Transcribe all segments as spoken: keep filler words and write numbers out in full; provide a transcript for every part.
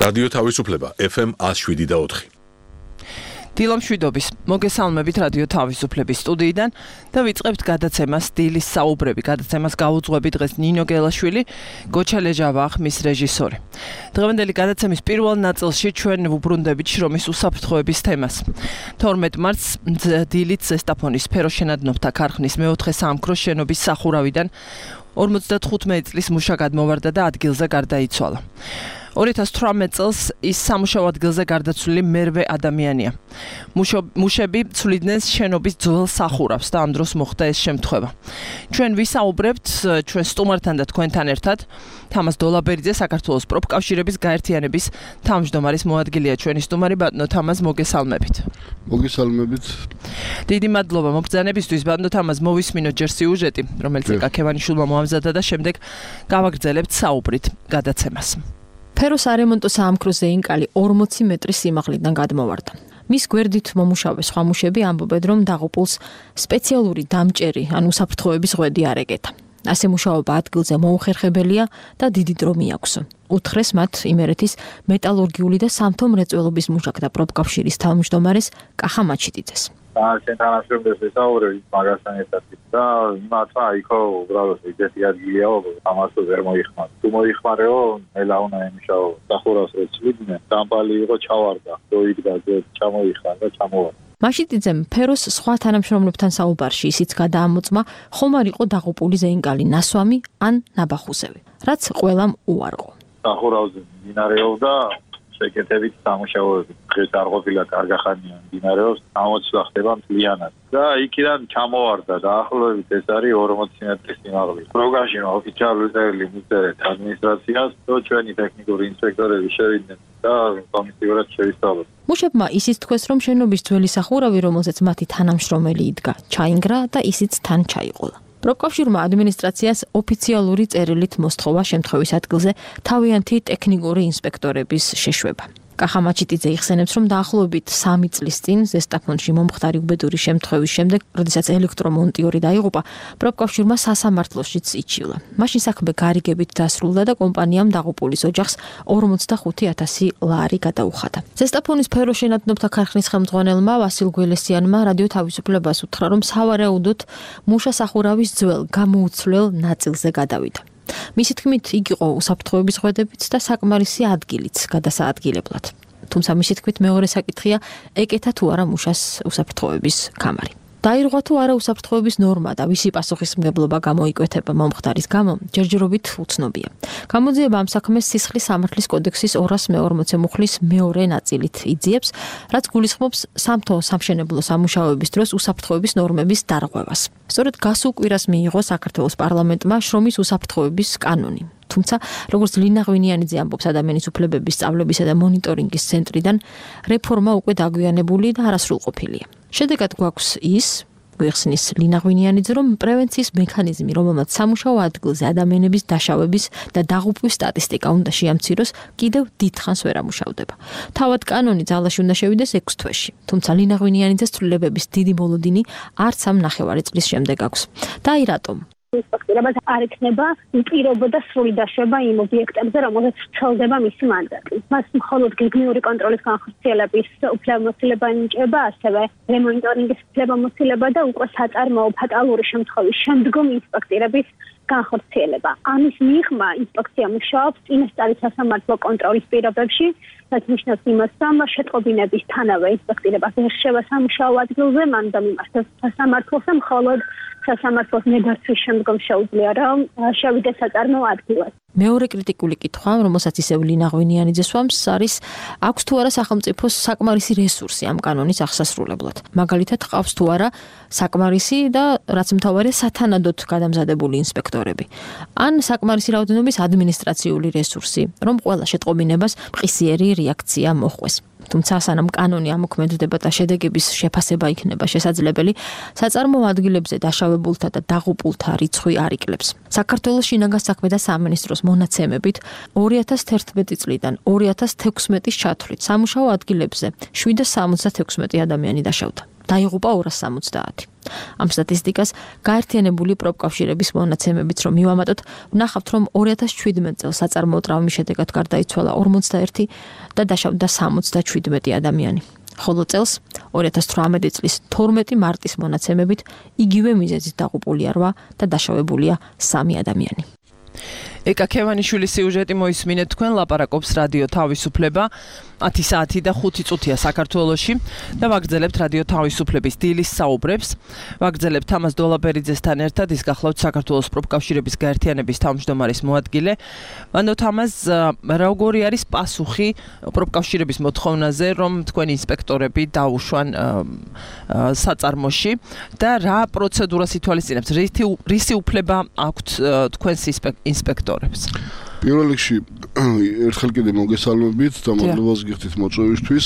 რადიო თავისუფლება ეფ ემ one oh seven და four. დილამშვიდობის მოგესალმებით რადიო თავისუფლების სტუდიიდან და ვიწყებთ გადაცემას დილის საუბრები. გადაცემას გაუძღვები დღეს ნინო გელაშვილი, გოჩა ლეჟავა ხმის რეჟისორი. დღევანდელი გადაცემის პირველ ნაწილში ჩვენ ვუბრუნდებით შრომის უსაფრთხოების თემას. თორმეტ მარტს დილით ზესტაფონის სფეროშენადნობთა ქარხნის მეოთხე საამქროს შენობის სახურავიდან ორმოცდათხუთმეტი წლის მუშა გადმოვარდა და ადგილზე გარდაიცვალა. ორი ათას თვრამეტ წელს ის სამუშაო ადგილზე გარდაცვლილი მერვე ადამიანია. მუშები ცვლიდნენ შენობის ძველ სახურავს და ამ დროს მოხდა ეს შემთხვევა. ჩვენ ვისაუბრებთ ჩვენ სტუმართან და თქვენთან ერთად. თამაზ დოლაბერიძე, საქართველოს პროფკავშირების გაერთიანების თავმჯდომარის მოადგილეა ჩვენი სტუმარი. ბატონო თამაზ, მოგესალმებით. მოგესალმებით. დიდი მადლობა მობრძანებისთვის. ბატონო თამაზ, მოვისმინოთ ჯერ სიუჟეტი, რომელიც ეკა ქევანიშვილმა მოამზადა და შემდეგ გავაგრძელებთ საუბრით გადაცემას. ფეროს არემონტო საამქროს ზეინკალი ორმოცი მეტრის სიმაღლიდან გადმოვარდა. მის გვერდით მომუშავე სხვა მუშები ამბობენ, რომ დაღუპულს სპეციალური დამჭერი ან უსაფრთხოების ღვედი არ ეკეთა. ასე მუშაობა ადგილზე მოუხერხებელია და დიდი დრო მიაქვს. უთხრეს მათ იმერეთის მეტალურგიული და სამთო მრეწველობის მუშაკთა პროფკავშირის თავმჯდომარეს კახა მაჩიტიძეს. Centralna Șurbesc de Saură, magazin este da, matra ico ubralo se geti adgilio, amasul vermo ihmat. Tu mo ihmareo, ela una emishao, sahuras rețvidne, tampali ico ჩავარდა, doigda de ჩამო ihara, ჩამო. მაშიტიძემ ფეროს სხვა თანამშრომლებთან საუბარში ისიც გადაამოწმა, ხომ არ იყო დაღუპული ზეინკალი ნასვამი ან ნაბახუსევი, რაც ყველამ უარყო. Sahuravზე მინარეობდა შეკეთებით სამუშაოები. დღეს არ ყოფილა კარგახანია მინარეობს, ამოცვლა ხდება მთლიანად. და იქიდან ჩამოვარდა და ახლობით ეს არის ორმოცი მეტრის სიმაღლე. პროგრამში ოფიციალური წერილი მისწერეთ ადმინისტრაციას, რომ ჩვენი ტექნიკური ინსპექტორები შევიდნენ და კომისიურად შევისწავლოთ. მუშებმა ისიც თქვეს, რომ შენობის ძველი სახურავი, რომელზეც მათი თანამშრომელი იდგა, ჩაინგრა და ისიც თან ჩაიყოლა. პროფკავშირმა ადმინისტრაციას ოფიციალური წერილით მოსთხოვა შემთხვევის ადგილზე თავიანთი ტექნიკური ინსპექტორების შეშვება. კახა მაჩიტიძე იხსენებს, რომ დაახლოებით სამი წლის წინ ზესტაფონში მომხდარი უბედური შემთხვევის შემდეგ, როდესაც ელექტრომონტიორი დაიღუპა, პროფკავშირმა სასამართლოშიც იჩივლა. მაშინ საქმე გარიგებით დასრულდა და კომპანიამ დაღუპულის ოჯახს ორმოცდახუთი ათასი ლარი გადაუხადა. ზესტაფონის სფეროშენადნობთა ქარხნის ხელმძღვანელმა ვასილ გველესიანმა რადიო თავისუფლებას უთხრა, რომ სავარაუდოდ მუშა სახურავის ძველ გამოუცვლელ ნაწილზე გადავიდა. მისი თქმით, იგი იყო უსაფრთხოების ღვედებით და საკმარისი ადგილიც გადასაადგილებლად. თუმცა მისი თქმით, მეორე საკითხია, ეკეთა თუ არა მუშას უსაფრთხოების კამარი. დაირღვა თუ არა უსაფრთხოების ნორმა და ვისი პასუხისმგებლობა გამოიკვეთება მომხდარის გამო, ჯერჯერობით უცნობია. გამოძიება ამ საქმეს სისხლის სამართლის კოდექსის ორას მეორმოცე მუხლის მეორე ნაწილით იძიებს, რაც გულისხმობს სამთო სამშენებლო სამუშაოების დროს უსაფრთხოების ნორმების დარღვევას. სწორედ გასულ კვირას მიიღო საქართველოს პარლამენტმა შრომის უსაფრთხოების კანონი. თუმცა, როგორც ლინა ღვინიანიძე ამბობს ადამიანის უფლებების სწავლებისა და მონიტორინგის ცენტრიდან, რეფორმა უკვე დაგვიანებული და არასრულყოფილია. შედეგად გვაქვს ის, გვიხსნის ლინა ღვინიანიძე, რომ პრევენციის მექანიზმი, რომელმაც სამუშაო ადგილზე ადამიანების დაშავების და დაღუპვის სტატისტიკა უნდა შეამციროს, კიდევ დიდხანს ვერ ამუშავდება. თავად კანონი ძალაში უნდა შევიდეს ექვს თვეში. თუმცა ლინა ღვინიანიძეს ცვლილებების დიდი მოლოდინი არც ამ ნახევარი წლის შემდეგ აქვს. და აი რატომ? ინსპექტორებად არ ექნება პირობა და სრული დაშვება იმ ობიექტებზე, რომელზეც ვრცელდება მისი მანდატი. მას მხოლოდ გეგმიური კონტროლის განხორციელების უფლებამოსილება ენიჭება, ასევე რემონიტორინგის უფლებამოსილება და უკვე საწარმოო ფატალური შემთხვევის შემდგომ ინსპექტირების განხორციელება. ამის მიღმა ინსპექცია მუშაობს წინასწარი სასამართლო კონტროლის პირობებში, რაც ნიშნავს იმას, რომ შეტყობინებისთანავე ინსპექტირება ვერ შევა სამუშაო ადგილზე, მან უნდა მიმართოს სასამართლოს, მხოლოდ სასამართლოს ნებართვის შემდგომ შეუძლია, რომ შევიდეს საწარმოო ადგილას. მეორე კრიტიკული კითხვა, რომელსაც ისევ ლინა ღვინიანიძე სვამს, არის აქვს თუ არა სახელმწიფოს საკმარისი რესურსი ამ კანონის აღსასრულებლად. მაგალითად, ყავს თუ არა საკმარისი და რაც მთავარია სათანადოდ გადამზადებული ინსპექტორები. ან საკმარისი რაოდენობის ადმინისტრაციული რესურსი, რომ ყველა შეტყობინებას მყისიერი რეაქცია მოჰყვეს. თუმცა სანამ კანონი ამოქმედდება და შედეგების შეფასება იქნება შესაძლებელი, საწარმოო ადგილებზე დაშავებულთა და დაღუპულთა რიცხვი არ იკლებს. საქართველოს შინაგან საქმეთა სამინისტროს მონაცემებით ორი ათას თერთმეტი წლიდან ორი ათას თექვსმეტის ჩათვლით სამუშაო ადგილებზე შვიდსა სამოცდათექვსმეტი ადამიანი დაშავდა. დაიღუპა ორას სამოცდაათი. ამ სტატისტიკას გაერთიანებული პროფკავშირების მონაცემებით რომ მივამატოთ, ვნახავთ, რომ ორი ათას შვიდმეტ წელს საწარმოო ტრავმის შედეგად გარდაიცვალა ორმოცდაერთი და დაშავდა სამოცდაშვიდმეტი ადამიანი. ხოლო წელს ორი ათას თვრამეტი წლის თორმეტი მარტის მონაცემებით იგივე მიზეზით დაღუპულია რვა და დაშავებულია სამი ადამიანი. ეკა ქევანიშვილის სიუჟეტი მოისმინეთ თქვენ, ლაპარაკობს რადიო თავისუფლება ათი საათი და ხუთი წუთია საქართველოში და ვაგრძელებთ რადიო თავისუფლების დილის საუბრებს. ვაგრძელებთ ამას დოლაბერიძესთან ერთად, ის გახლავთ საქართველოს პროფკავშირების გაერთიანების თავმჯდომარის მოადგილე. ვანდოთ ამას, როგორი არის პასუხი პროფკავშირების მოთხოვნაზე, რომ თქვენი ინსპექტორები დაუშვან საწარმოში და რა პროცედურას ითვალისწინებთ, რისი უფლება აქვთ თქვენს ინსპექტორებს? პირველ რიგში ერთხელ კიდე მოგესალმებით და მადლობას გიხდით მოწვევისთვის.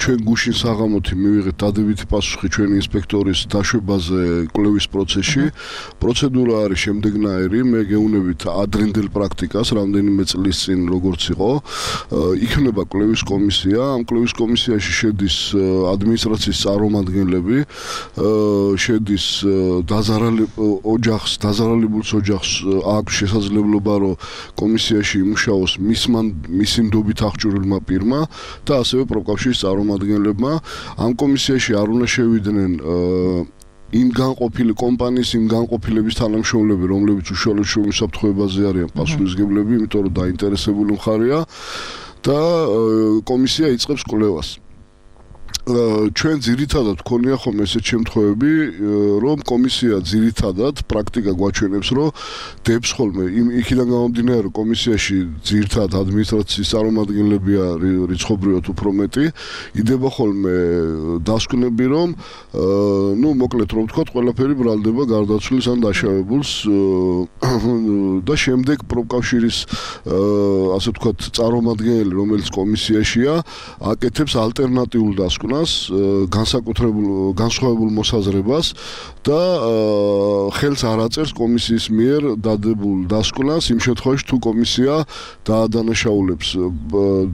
ჩვენ გუშინ საღამოთი მივიღეთ დადებითი პასუხი ჩვენი ინსპექტორის დაშვებაზე კვლევის პროცესში. პროცედურა არის შემდეგნაირი, მე გეუნებით ადრინდელ პრაქტიკას, რამდენიმე წლის წინ როგორც იყო. იქნება კვლევის კომისია, ამ კვლევის კომისიაში შედის ადმინისტრაციის წარმომადგენლები, შედის ოჯახს, დაზარალებულს ოჯახს აქვს შესაძლებლობა, რომ კომისიაში იმუშაოს მისი ნდობით აღჭურვილმა პირმა და ასევე პროფკავშირის წარმომადგენლებმა. ამ კომისიაში არ უნდა შევიდნენ იმ განყოფილი კომპანიის, იმ განყოფილების თანამშრომლები, რომლებიც უშუალოდ შემოსაფრთხოებაზე არიან პასუხისმგებლები, იმიტომ რომ დაინტერესებული მხარეა და კომისია იწყებს კვლევას. ჩვენ ძირითადად გქონია ხომ ესეთ შემთხვევები, რომ კომისია ძირითადად პრაქტიკა გვაჩვენებს, რომ დებს ხოლმე იქიდან გამომდინარე, რომ კომისიაში ძირითადად ადმინისტრაციის წარმომადგენლებია რიცხობრივად უფრო მეტი, იდება ხოლმე დასკვნები, რომ ნუ მოკლედ რომ ვთქვათ, ყველაფერი ბრალდება გარდაცვლის ან დაშავებულს და შემდეგ პროფკავშირის ასე ვთქვათ წარმომადგენელი, რომელიც კომისიაშია, აკეთებს ალტერნატიულ დასკვნას, განსაკუთრებულ განსხვავებულ მოსაზრებას და ხელს არ აწერს კომისიის მიერ დადებულ დასკვნას იმ შემთხვევაში თუ კომისია დაადანაშაულებს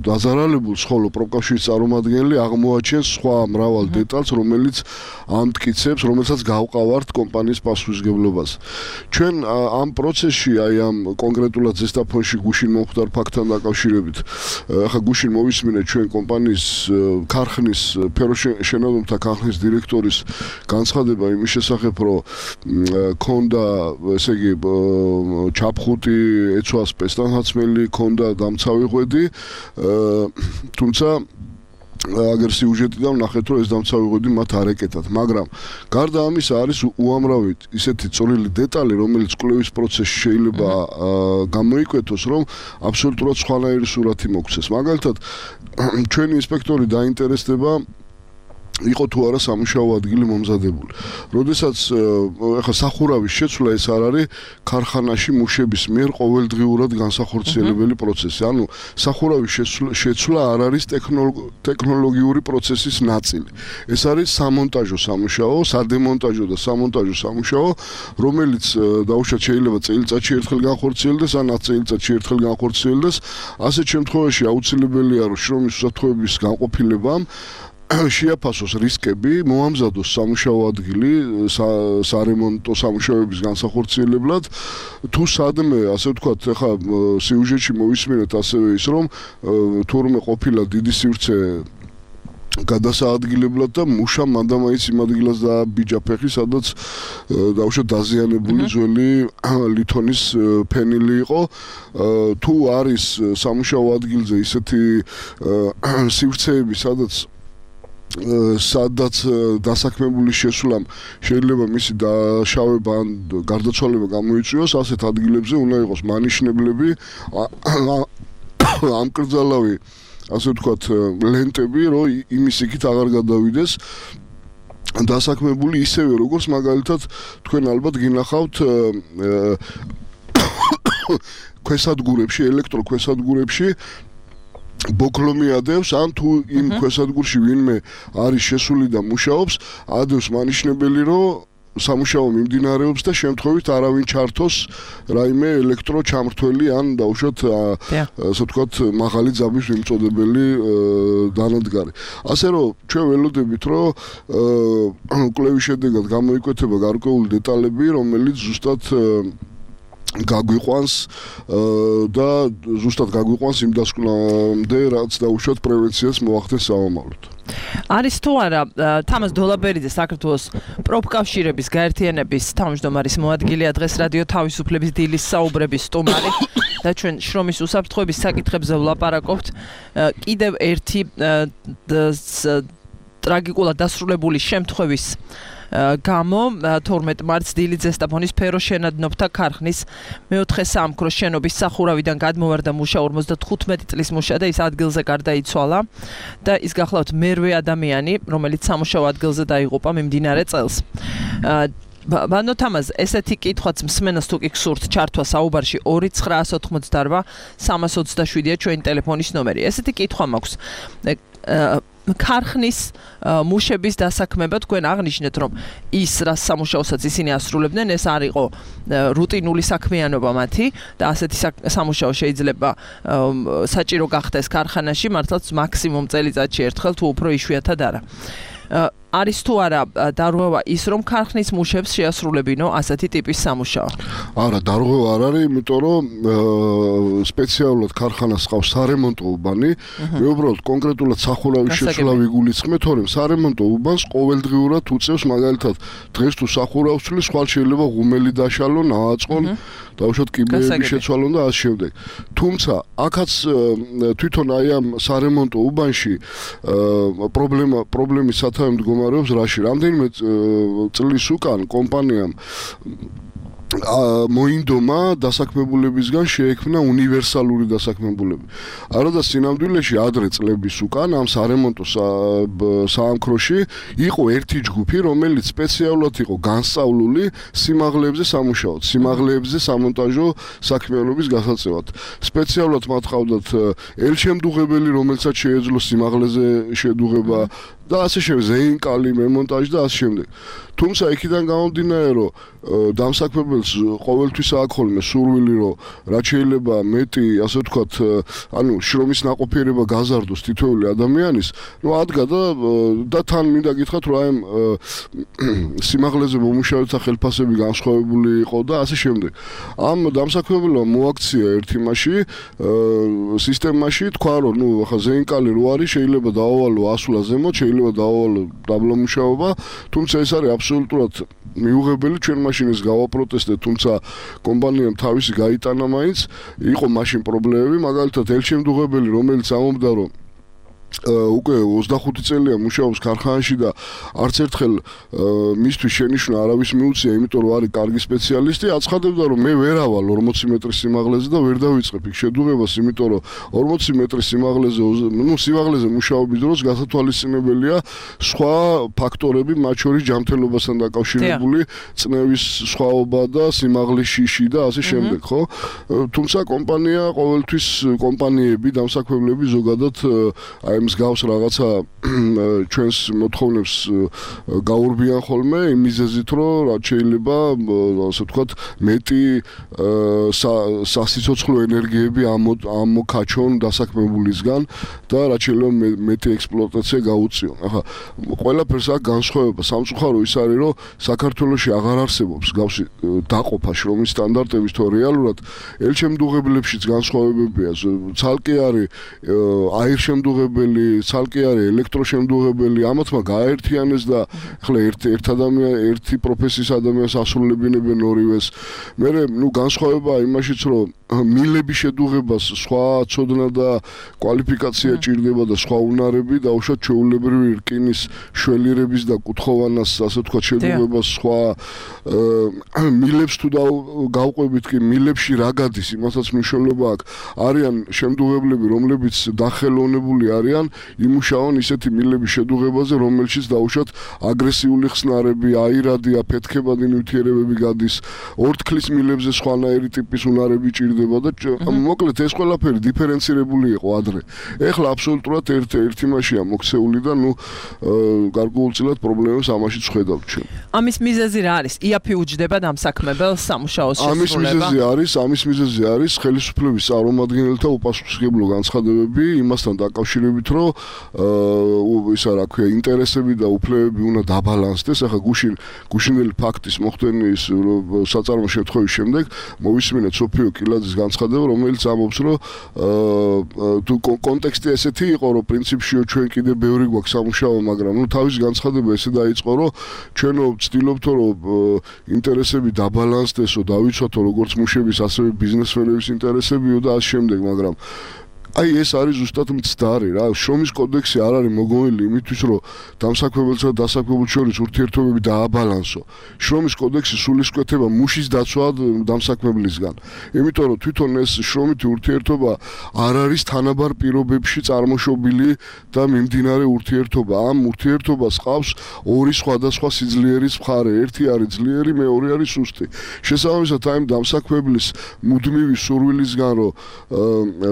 დაზარალებულს, ხოლო პროფკავშირის წარმომადგენელი აღმოაჩენს სხვა მრავალ დეტალს, რომელიც ამტკიცებს, რომელსაც გავყავართ კომპანიის პასუხისმგებლობას. ჩვენ ამ პროცესში, აი ამ კონკრეტულად ზესტაფონში გუშინ მომხდარ ფაქტთან დაკავშირებით, ახლა გუშინ მოვისმინეთ ჩვენ კომპანიის ქარხნის ფეროშენადობთა ქარხნის დირექტორის განცხადება იმის შესახებ, რომ ქონდა, ესე იგი, ჩაფხუტი ეცვა სპეცდანაცმელი, ქონდა დამცავი ღვედი, თუმცა აგერ სიუჟეტიდან ვნახეთ, რომ ეს დამცავი ღვედი მათ არ ეკეტათ, მაგრამ გარდა ამისა არის უამრავი ისეთი წვრილი დეტალი, რომელიც კვლევის პროცესში შეიძლება გამოიკვეთოს, რომ აბსოლუტურად სხვანაირი სურათი მოგვცეს. მაგალითად, ჩვენი ინსპექტორი დაინტერესდება იყო თუ არა სამუშაო ადგილი მომზადებული. როდესაც ახლა სახურავის შეცვლა ეს არ არის ქარხანაში მუშების მიერ ყოველდღიურად განსახორციელებელი პროცესი. ანუ სახურავის შეცვლა არ არის ტექნოლოგიური პროცესის ნაწილი. ეს არის სამონტაჟო სამუშაო, სადემონტაჟო და სამონტაჟო სამუშაო, რომელიც დაუშვათ შეიძლება წელიწადში ერთხელ განხორციელდეს ან ათ წელიწადში ერთხელ განხორციელდეს. ასეთ შემთხვევაში აუცილებელია, რომ შრომის უსაფრთხოების განყოფილებამ შეაფასოს რისკები, მოამზადოს სამუშაო ადგილი სარემონტო სამუშაოების განსახორციელებლად, თუ სადმე, ასე ვთქვათ, ახლა სიუჟეტში მოვისმინეთ ასევე ის, რომ თურმე ყოფილა დიდი სივრცე გადასაადგილებლად და მუშა მანდამაიც იმ ადგილას დააბიჯა ფეხი, სადაც დაუშვათ დაზიანებული ძველი ლითონის ფენილი იყო. თუ არის სამუშაო ადგილზე ისეთი სივრცეები, სადაც სადაც დასაქმებული შესვლამ შეიძლება მისი დაშავება ან გარდაცვალება გამოიწვიოს, ასეთ ადგილებზე უნდა იყოს მანიშნებლები, ამკრძალავი, ასე ვთქვათ, ლენტები, რომ იმის იქით აღარ გადავიდეს დასაქმებული, ისევე როგორც მაგალითად თქვენ ალბათ გინახავთ ქვესადგურებში, ელექტროქვესადგურებში ბოქლომი ადევს, ან თუ იმ ქვესადგურში ვინმე არის შესული და მუშაობს, ადევს მანიშნებელი, რომ სამუშაო მიმდინარეობს და შემთხვევით არავინ ჩართოს რაიმე ელექტრო ჩამრთველი ან დაუშვათ ასე ვთქვათ მაღალი ძაბვის მიმწოდებელი დანადგარი. ასე რომ ჩვენ ველოდებით რომ კვლევის შედეგად გამოიკვეთება გარკვეული დეტალები, რომელიც ზუსტად გაგვიყვანს და ზუსტად გაგვიყვანს იმ დასკვნამდე, რაც დაუშვათ პრევენციას მოახდენს სამომავლოდ. არის თუ არა თამაზ დოლაბერიძე საქართველოს პროფკავშირების გაერთიანების თავმჯდომარის მოადგილეა დღეს რადიო თავისუფლების დილის საუბრების სტუმარი და ჩვენ შრომის უსაფრთხოების საკითხებზე ვლაპარაკობთ. კიდევ ერთი ტრაგიკულად დასრულებული შემთხვევის გამო თორმეტ მარტს დილით ზესტაფონის ფეროშენადნობთა ქარხნის მეოთხე სამქრო შენობის სახურავიდან გადმოვარდა მუშა ორმოცდათხუთმეტი წლის მუშა და ის ადგილზე გარდაიცვალა და ის გახლავთ მერვე ადამიანი, რომელიც სამუშაო ადგილზე დაიღუპა მიმდინარე წელს. ბანო თამაზ, ესეთი კითხვაც მსმენელს თუ კი გსურთ ჩართვა საუბარში ორი ცხრაას ოთხმოცდარბა სამას ოცდაშვიდია ჩვენი ტელეფონის ნომერი. ესეთი კითხვა მაქვს. ქარხნის მუშების დასაქმება თქვენ აღნიშნეთ, რომ ის რა სამუშაოსაც ისინი ასრულებდნენ, ეს არ იყო რუტინული საქმიანობა მათი და ასეთი სამუშაო შეიძლება საჭირო გახდეს ქარხანაში, მართლაც მაქსიმუმ წელიწადში ერთხელ თუ უფრო იშვიათად არა. არის თუ არა დარღვევა ის, რომ ქარხნის მუშებს შეასრულებინო ასეთი ტიპის სამუშაო? არა, დარღვევა არ არის, იმიტომ რომ სპეციალურად ქარხანას ყავს სარემონტო უბანი, მე უბრალოდ კონკრეტულად სახურავის შეცვლა ვიგულისხმე, თორემ სარემონტო უბანს ყოველდღიურად უწევს, მაგალითად, დღეს თუ სახურავს ცვლის, ხვალ შეიძლება ღუმელი დაშალონ, ააწყონ, დაუშვათ კიბეების შეცვალონ და ასე შემდეგ. თუმცა, აქაც თვითონ აი ამ სარემონტო უბანში პრობლემა პრობლემის სათავე მდგომარეობს რაში? რამდენიმე წლის უკან კომპანიამ მოინდომა დასაქმებულებისგან შეექმნა უნივერსალური დასაქმებულები. არა და სინამდვილეში ადრე წლების უკან ამ სარემონტო საამქროში იყო ერთი ჯგუფი, რომელიც სპეციალურად იყო განსწავლული სიმაღლეებზე სამუშაოდ, სიმაღლეებზე სამონტაჟო საქმიანობის გასაწევად. სპეციალურად მათ ყავდათ ელჩემდუღებელი, რომელსაც შეეძლო სიმაღლეზე შედუღება და ასე შემდეგ, ზეინკალი, მემონტაჟი და ასე შემდეგ. თუმცა იქიდან გამომდინარე, რომ დამსაქმებელს ყოველთვის აქვს ხოლმე სურვილი, რომ რაც შეიძლება მეტი, ასე ვთქვათ, ანუ შრომის ნაყოფიერება გაზარდოს თითოეული ადამიანის, ნუ ადგა და და თან მინდა გითხრათ, რომ აი სიმაღლეზე მომუშავეთა ხელფასები განსხვავებული იყო და ასე შემდეგ. ამ დამსაქმებელმა მოაქცია ერთ იმაში, სისტემაში, თქვა, რომ ნუ ახლა ზეინკალი რო არის, შეიძლება დაავალო ასვლა ზემოთ, შეიძლება დაავალო დაბლა მუშაობა, თუმცა ეს არის აბსოლუტურად მიუღებელი, ჩვენ მაშინ ეს გავაპროტესტეთ, თუმცა კომპანიამ თავისი გაიტანა მაინც, იყო მაშინ პრობლემები, მაგალითად ელჩემდუღებელი, რომელიც ამობდა, რომ უკვე ოცდახუთი წელია მუშაობს ქარხანაში და არც ერთხელ მისთვის შენიშვნა არავის მიუწია, იმიტომ რომ არის კარგი სპეციალისტი, აცხადებდა, რომ მე ვერ ავალ ორმოცი მეტრის სიმაღლეზე და ვერ დავიწყებ იქ შედუღებას, იმიტომ რომ ორმოცი მეტრის სიმაღლეზე, ნუ სიმაღლეზე მუშაობის დროს გასათვალისწინებელია სხვა ფაქტორები, მათ შორის ჯანმრთელობასთან დაკავშირებული წნევის სხვაობა და სიმაღლის შიში და ასე შემდეგ, ხო? თუმცა კომპანია ყოველთვის კომპანიები, დამსაქმებლები ზოგადად აი მსგავს რაღაცა ჩვენს მოთხოვნებს გაურბიან ხოლმე იმ მიზეზით, რომ რაც შეიძლება ასე ვთქვათ მეტი სასიცოცხლო ენერგიები ამოქაჩონ დასაქმებულისგან და რაც შეიძლება მეტი ექსპლუატაცია გაუწიონ. ახლა ყველაფერს აქ განსხვავება სამწუხარო ის არის, რომ საქართველოში აღარ არსებობს მსგავსი დაყოფა შრომის სტანდარტების, თუ რეალურად ელჩემდუღებლებშიც განსხვავებებია, ცალკე არის აირშემდუღებელი, ცალკე არის ელექტროშემდუღებელი, ამათმა გააერთიანეს და ახლა ერთ ერთ ადამიან ერთი პროფესიის ადამიანს ასრულებინებენ ორივეს. მე ნუ განსხვავება იმაშიც, რომ მილების შედუღებას სხვა ცოდნა და კვალიფიკაცია ჭირდება და სხვა უნარები და უშუალოდ ჩვეულებრივი რკინის შველირების და კუთხოვანას, ასე ვთქვათ, შედუღებას სხვა მილებს თუ გავყვებით კი მილებში რა გადის, იმასაც მნიშვნელობა აქვს. არიან შემდუღებლები, რომლებიც დახელოვნებული არიან ძალიან იმუშავონ ისეთი მილების შედუღებაზე, რომელშიც დაუშვათ აგრესიული ხსნარები, აირადი, აფეთქებადი ნივთიერებები გადის, ორთქლის მილებზე სხვანაირი ტიპის უნარები ჭირდება და მოკლედ ეს ყველაფერი დიფერენცირებული იყო ადრე. ეხლა აბსოლუტურად ერთ ერთი მასშია მოქცეული და ნუ გარკვეულწილად პრობლემებს ამაშიც ხედავთ ჩვენ. ამის მიზეზი რა არის? იაფი უჯდება დამსაქმებელს სამუშაოს შესრულება? ამის მიზეზი არის, ამის მიზეზი არის ხელისუფლების წარმომადგენელთა უპასუხისმგებლო განცხადებები იმასთან დაკავშირებით, რომ ისა რა ქვია, ინტერესები და უფლებები უნდა დაბალანსდეს. ახლა გუშინ გუშინელი ფაქტის მოხდენის საწარმო შემთხვევის შემდეგ მოვისმინეთ სოფიო კილაძის განცხადება, რომელიც ამბობს, რომ თუ კონტექსტი ესეთი იყო, რომ პრინციპში ჩვენ კიდე ბევრი გვაქვს სამუშაო, მაგრამ ნუ თავის განცხადება ესე დაიწყო, რომ ჩვენო ვცდილობთ, რომ ინტერესები დაბალანსდესო, დავიცვათო როგორც მუშების, ასევე ბიზნესმენების ინტერესებიო და ამ შემდეგ, მაგრამ აი ეს არის ზუსტად მცდარი რა. შრომის კოდექსი არ არის მოგონილი იმისთვის, რომ დამსაქმებელსა და დასაქმებულს შორის ურთიერთობები დააბალანსო. შრომის კოდექსი სულისკვეთება მუშის დაცვად დამსაქმებლისგან. იმიტომ რომ თვითონ ეს შრომითი ურთიერთობა არ არის თანაბარ პირობებში წარმოშობილი და მიმდინარე ურთიერთობა. ამ ურთიერთობას ყავს ორი სხვადასხვა სიძლიერის მხარე. ერთი არის ძლიერი, მეორე არის სუსტი. შესაბამისად, აი დამსაქმებლის მუდმივი სურვილისგან, რომ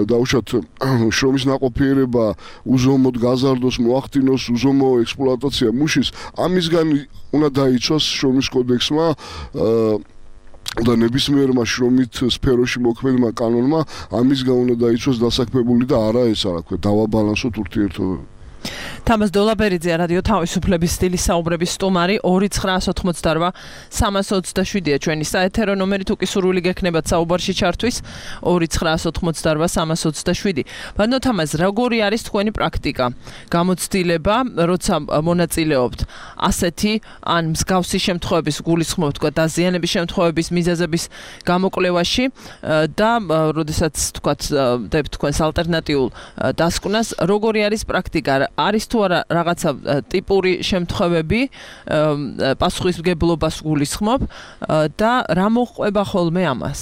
დაუშვათ შრომის ნაყოფიერება უზომოდ გაზარდოს, მოახდინოს უზომო ექსპლუატაცია მუშის, ამისგან უნდა დაიცვას შრომის კოდექსმა და ნებისმიერმა შრომით სფეროში მოქმედმა კანონმა ამისგან უნდა დაიცვას დასაქმებული და არა ეს რა ქვია, დავაბალანსოთ ურთიერთობები. თამას დოლაბერიძე რადიო თავისუფლების სტილის საუბრების სტუმარი ორი ცხრაას ოცდაოთხმოცდაორვა სამას ოცდაშვიდია ჩვენი საეთერო ნომერი თუ კი სურვილი გექნებათ საუბარში ჩართვის ორი ცხრაას ოცდაოთხმოცდაორვა სამას ოცდაშვიდი. ბატონო თამას, როგორი არის თქვენი პრაქტიკა? გამოცდილება, როცა მონაწილეობთ ასეთი ან მსგავსი შემთხვევების გულისხმობთ თქვა დაზიანების შემთხვევების მიზეზების გამოკვლევაში და როდესაც თქვათ დებთ თქვენს ალტერნატიულ დასკვნას, როგორი არის პრაქტიკა? არის თუ არა რაღაცა ტიპური შემთხვევები პასუხისმგებლობას გულისხმობ და რა მოჰყვება ხოლმე ამას?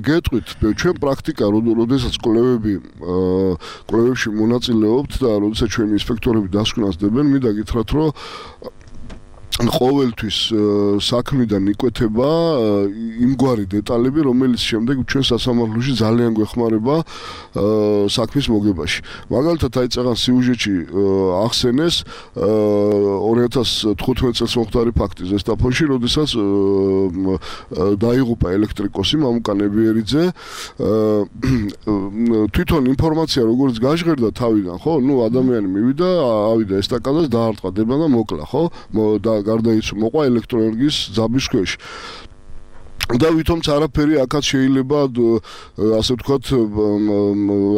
გეტყვით, ჩვენ პრაქტიკა, როდესაც კვლევები კვლევებში მონაწილეობთ და როდესაც ჩვენი ინსპექტორები დასკვნას დებენ, მინდა გითხრათ, რომ ყოველთვის საქმიდან იკვეთება იმგვარი დეტალები, რომელიც შემდეგ ჩვენ სასამართლოში ძალიან გვეხმარება საქმის მოგებაში. მაგალითად, აი წაღან სიუჟეტში ახსენეს ორი ათას თხუთმეტ წელს მომხდარი ფაქტი ზესტაფონში, როდესაც დაიღუპა ელექტრიკოსი მამუკა ნებიერიძე. თვითონ ინფორმაცია როგორც გაჟღერდა თავიდან, ხო? ნუ ადამიანი მივიდა, ავიდა ესტაკადას, დაარტყა დება და მოკლა, ხო? და გარდაიცვალა, მოყვა ელექტროენერგიის ძაბვის ქვეშ. და ვითომც არაფერი აქაც შეიძლება ასე ვთქვათ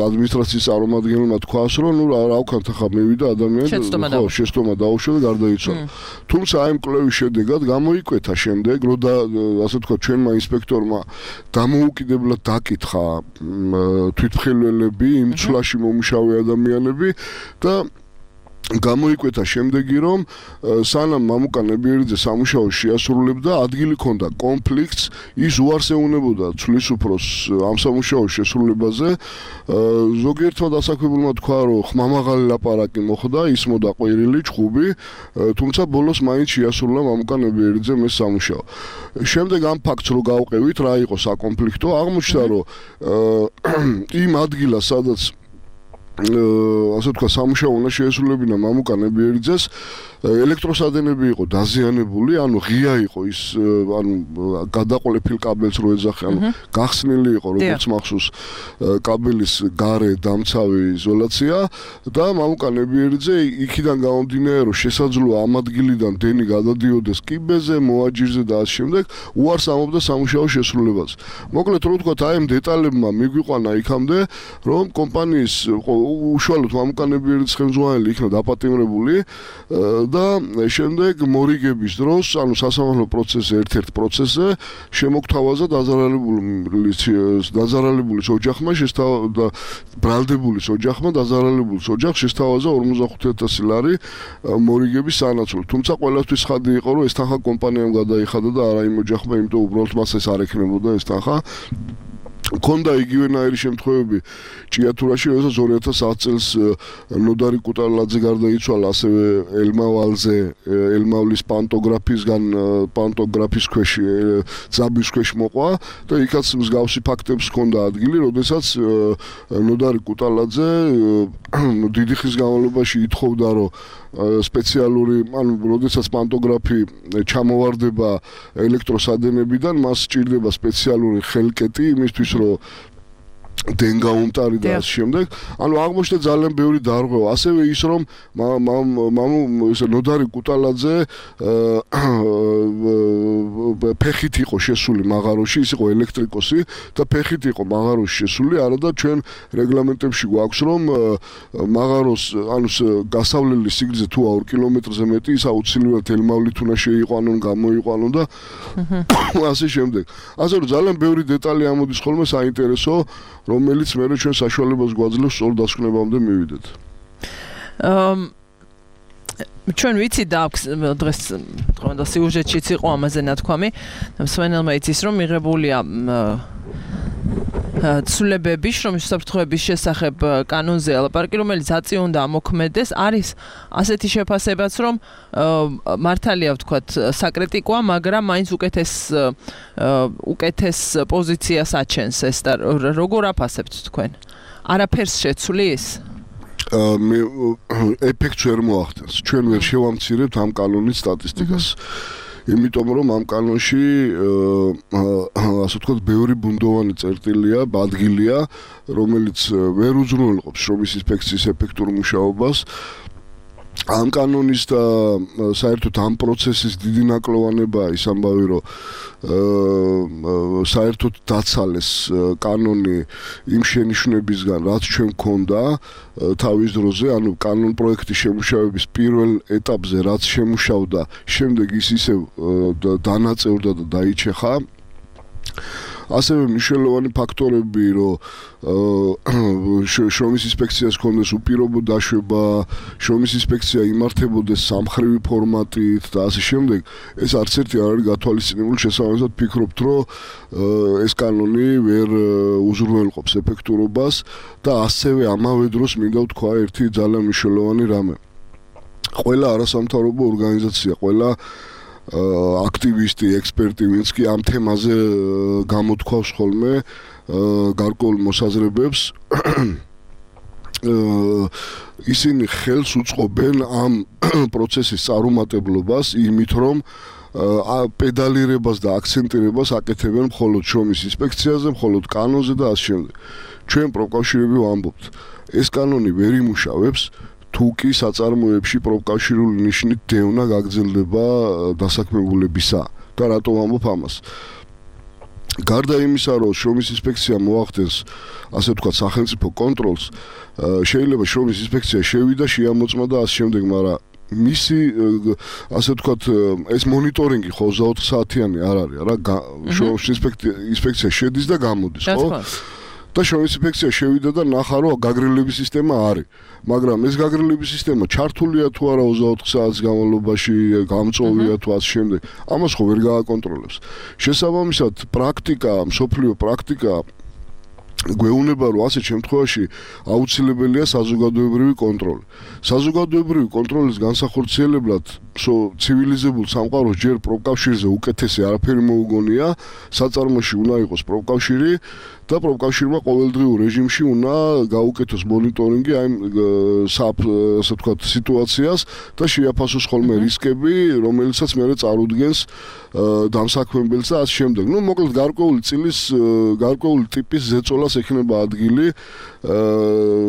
ადმინისტრაციის წარმომადგენელმა თქვას, რომ ნუ რა ვქნათ ახლა მივიდა ადამიანი, ხო, შეცდომა დაუშვა და გარდაიცვალა. თუმცა აი მკვლევის შედეგად გამოიკვეთა შემდეგ, რომ და ასე ვთქვათ ჩვენმა ინსპექტორმა დამოუკიდებლად დაკითხა თვითმხილველები, იმ ცვლაში მომუშავე ადამიანები და გამოიკვეთა შემდეგი, რომ სანამ მამუკა ნებიერიძე სამუშაოს შეასრულებდა, ადგილი ჰქონდა კონფლიქტს, ის უარს ეუბნებოდა ცვლის უფროს ამ სამუშაოს შესრულებაზე. ზოგიერთმა დასაქმებულმა თქვა, რომ ხმამაღალი ლაპარაკი მოხდა, ისმოდა ყვირილი, ჩხუბი, თუმცა ბოლოს მაინც შეასრულა მამუკა ნებიერიძემ ეს სამუშაო. შემდეგ ამ ფაქტს რო გავყევით, რა იყო საკონფლიქტო, აღმოჩნდა, რომ იმ ადგილას, სადაც ასე თქვა სამუშაო უნდა შეესრულებინა მამუკა ნებიერიძეს, ელექტროსადენები იყო დაზიანებული, ანუ ღია იყო ის, ანუ გადაყოლეფილ კაბელს რო ეძახე, ანუ გახსნილი იყო როგორც მახსოვს კაბელის გარე დამცავი იზოლაცია და მამუკა ნებიერიძე იქიდან გამომდინარე, რომ შესაძლოა ამ ადგილიდან დენი გადადიოდეს კიბეზე, მოაჯირზე და ამ შემდეგ უარს ამობდა სამუშაოს შესრულებაზე. მოკლედ რო ვთქვათ, აი ამ დეტალებმა მიგვიყვანა იქამდე, რომ კომპანიის უშუალოდ მამუკა ნებიერიძის ხელმძღვანელი იქნა დაპატიმრებული და შემდეგ მორიგების დროს, ანუ სასამართლო პროცესზე, ერთ-ერთ პროცესზე შემოგთავაზა დაზარალებულის დაზარალებულის ოჯახმა და ბრალდებულის ოჯახმა დაზარალებულის ოჯახს შესთავაზა ორმოცდახუთი ათასი ლარი მორიგების სანაცვლოდ. თუმცა ყველასთვის ხადი იყო, რომ ეს თანხა კომპანიამ გადაიხადა და არა იმ ოჯახმა, იმიტომ უბრალოდ მას ეს არ ექნებოდა ეს თანხა. კონდა იგივენაირი შემთხვევები ჭიათურაში, როდესაც ორი ათას ათი წელს ნოდარი კუტალაძე გარდაიცვალა, ასევე ელმავალზე, ელმავლის პანტოგრაფისგან პანტოგრაფის ქვეშ ძაბვის ქვეშ მოყვა და იქაც მსგავსი ფაქტებს ჰქონდა ადგილი, როდესაც ნოდარი კუტალაძე დიდი ხნის განმავლობაში ითხოვდა, რომ სპეციალური, ანუ როდესაც პანტოგრაფი ჩამოვარდება ელექტროსადენებიდან, მას სჭირდება სპეციალური ხელკეტი იმისთვის, რომ დენ გაუმტარი და ამ შემდეგ, ანუ აღმოჩნდა ძალიან ბევრი დარღვევა, ასევე ის რომ მამუ ესე ნოდარი კუტალაძე ფეხით იყო შესული მაღაროში, ის იყო ელექტრიკოსი და ფეხით იყო მაღაროში შესული, არადა ჩვენ რეგლამენტებში გვაქვს რომ მაღაროს, ანუ გასავლელი სიგრძე თუ ორ კილომეტრზე მეტი, ის აუცილებლად ელმავლით უნდა შეიყვანონ, გამოიყვანონ და ასე შემდეგ. ასე რომ ძალიან ბევრი დეტალი ამოდის ხოლმე საინტერესო, რომელიც მე ჩვენ საშუალებას გვაძლევს სწორ დასკვნებამდე მივიდეთ. აა ჩვენ ვიცი და დღეს თქვენ და სიუჟეტშიც იყო ამაზე ნათქვამი. მსმენელმა იცის რომ მიღებულია ცვლილებები შრომის უსაფრთხოების შესახებ კანონზე ალაპარაკი, რომელიც აწი უნდა ამოქმედეს, არის ასეთი შეფასებაც, რომ მართალია ვთქვათ საკრიტიკოა, მაგრამ მაინც უკეთეს უკეთეს პოზიციას აჩენს ეს და როგორ აფასებთ თქვენ? არაფერს შეცვლის? მე ეფექტს ვერ მოახდენს. ჩვენ ვერ შევამცირებთ ამ კანონის სტატისტიკას. იმიტომ რომ ამ კანონში ასე ვთქვათ ბევრი ბუნდოვანი წერტილია, ადგილია, რომელიც ვერ უზრუნველყოფს შრომის ინსპექციის ეფექტურ მუშაობას. ამ კანონის და საერთოდ ამ პროცესის დიდი ნაკლოვანებაა ის ამბავი, რომ საერთოდ დაცალეს კანონი იმ შენიშვნებისგან, რაც ჩვენ გვქონდა თავის დროზე, ანუ კანონ პროექტის შემუშავების პირველ ეტაპზე, რაც შემუშავდა, შემდეგ ის ისევ დანაწევრდა და დაიჩეხა. ასევე მნიშვნელოვანი ფაქტორები, რომ შრომის ინსპექციას ჰქონდეს უპირობო დაშვება, შრომის ინსპექცია იმართებოდეს სამხრივი ფორმატით და ასე შემდეგ, ეს არც ერთი არ არის გათვალისწინებული, შესაბამისად ფიქრობთ, რომ ეს კანონი ვერ უზრუნველყოფს ეფექტურობას და ასევე ამავე დროს მინდა ვთქვა ერთი ძალიან მნიშვნელოვანი რამე. ყველა არასამთავრობო ორგანიზაცია, ყველა აქტივისტი, ექსპერტი, ვინც კი ამ თემაზე გამოთქვავს ხოლმე გარკვეულ მოსაზრებებს, ისინი ხელს უწყობენ ამ პროცესის წარუმატებლობას იმით, რომ პედალირებას და აქცენტირებას აკეთებენ მხოლოდ შრომის ინსპექციაზე, მხოლოდ კანონზე და ასე შემდეგ. ჩვენ პროფკავშირები ვამბობთ, ეს კანონი ვერ იმუშავებს, თუ კი საწარმოებში პროფკავშირული ნიშნით დევნა გაგრძელდება დასაქმებულებისა და რატო ვამბობ ამას? გარდა იმისა, რომ შრომის ინსპექცია მოახდენს, ასე ვთქვათ, სახელმწიფო კონტროლს, შეიძლება შრომის ინსპექცია შევიდა, შეამოწმა და ასე შემდეგ, მაგრამ მისი ასე ვთქვათ, ეს მონიტორინგი ხო ოცდაოთხ საათიანი არ არის, რა, შრომის ინსპექცია შედის და გამოდის, ხო? და შრომის ინსპექცია შევიდა და ნახა, რომ გაგრილების სისტემა არის. მაგრამ ეს გაგრილების სისტემა ჩართულია თუ არა ოცდაოთხ საათის განმავლობაში, გამწვავია თუ ასე შემდეგ, ამას ხო ვერ გააკონტროლებს. შესაბამისად, პრაქტიკა, მსოფლიო პრაქტიკა გვეუბნება, რომ ასეთ შემთხვევაში აუცილებელია საზოგადოებრივი კონტროლი. საზოგადოებრივი კონტროლის განსახორციელებლად ცივილიზებულ სამყაროს ჯერ პროფკავშირზე უკეთესი არაფერი მოუგონია, საწარმოში უნდა იყოს პროფკავშირი და პროფკავშირმა ყოველდღიურ რეჟიმში უნდა გაუკეთოს მონიტორინგი აი ასე ვთქვათ სიტუაციას და შეაფასოს ხოლმე რისკები, რომელიცაც მერე წარუდგენს დამსაქმებელს და ასე შემდეგ. ნუ მოკლედ გარკვეული წილის გარკვეული ტიპის ზეწოლას ექნება ადგილი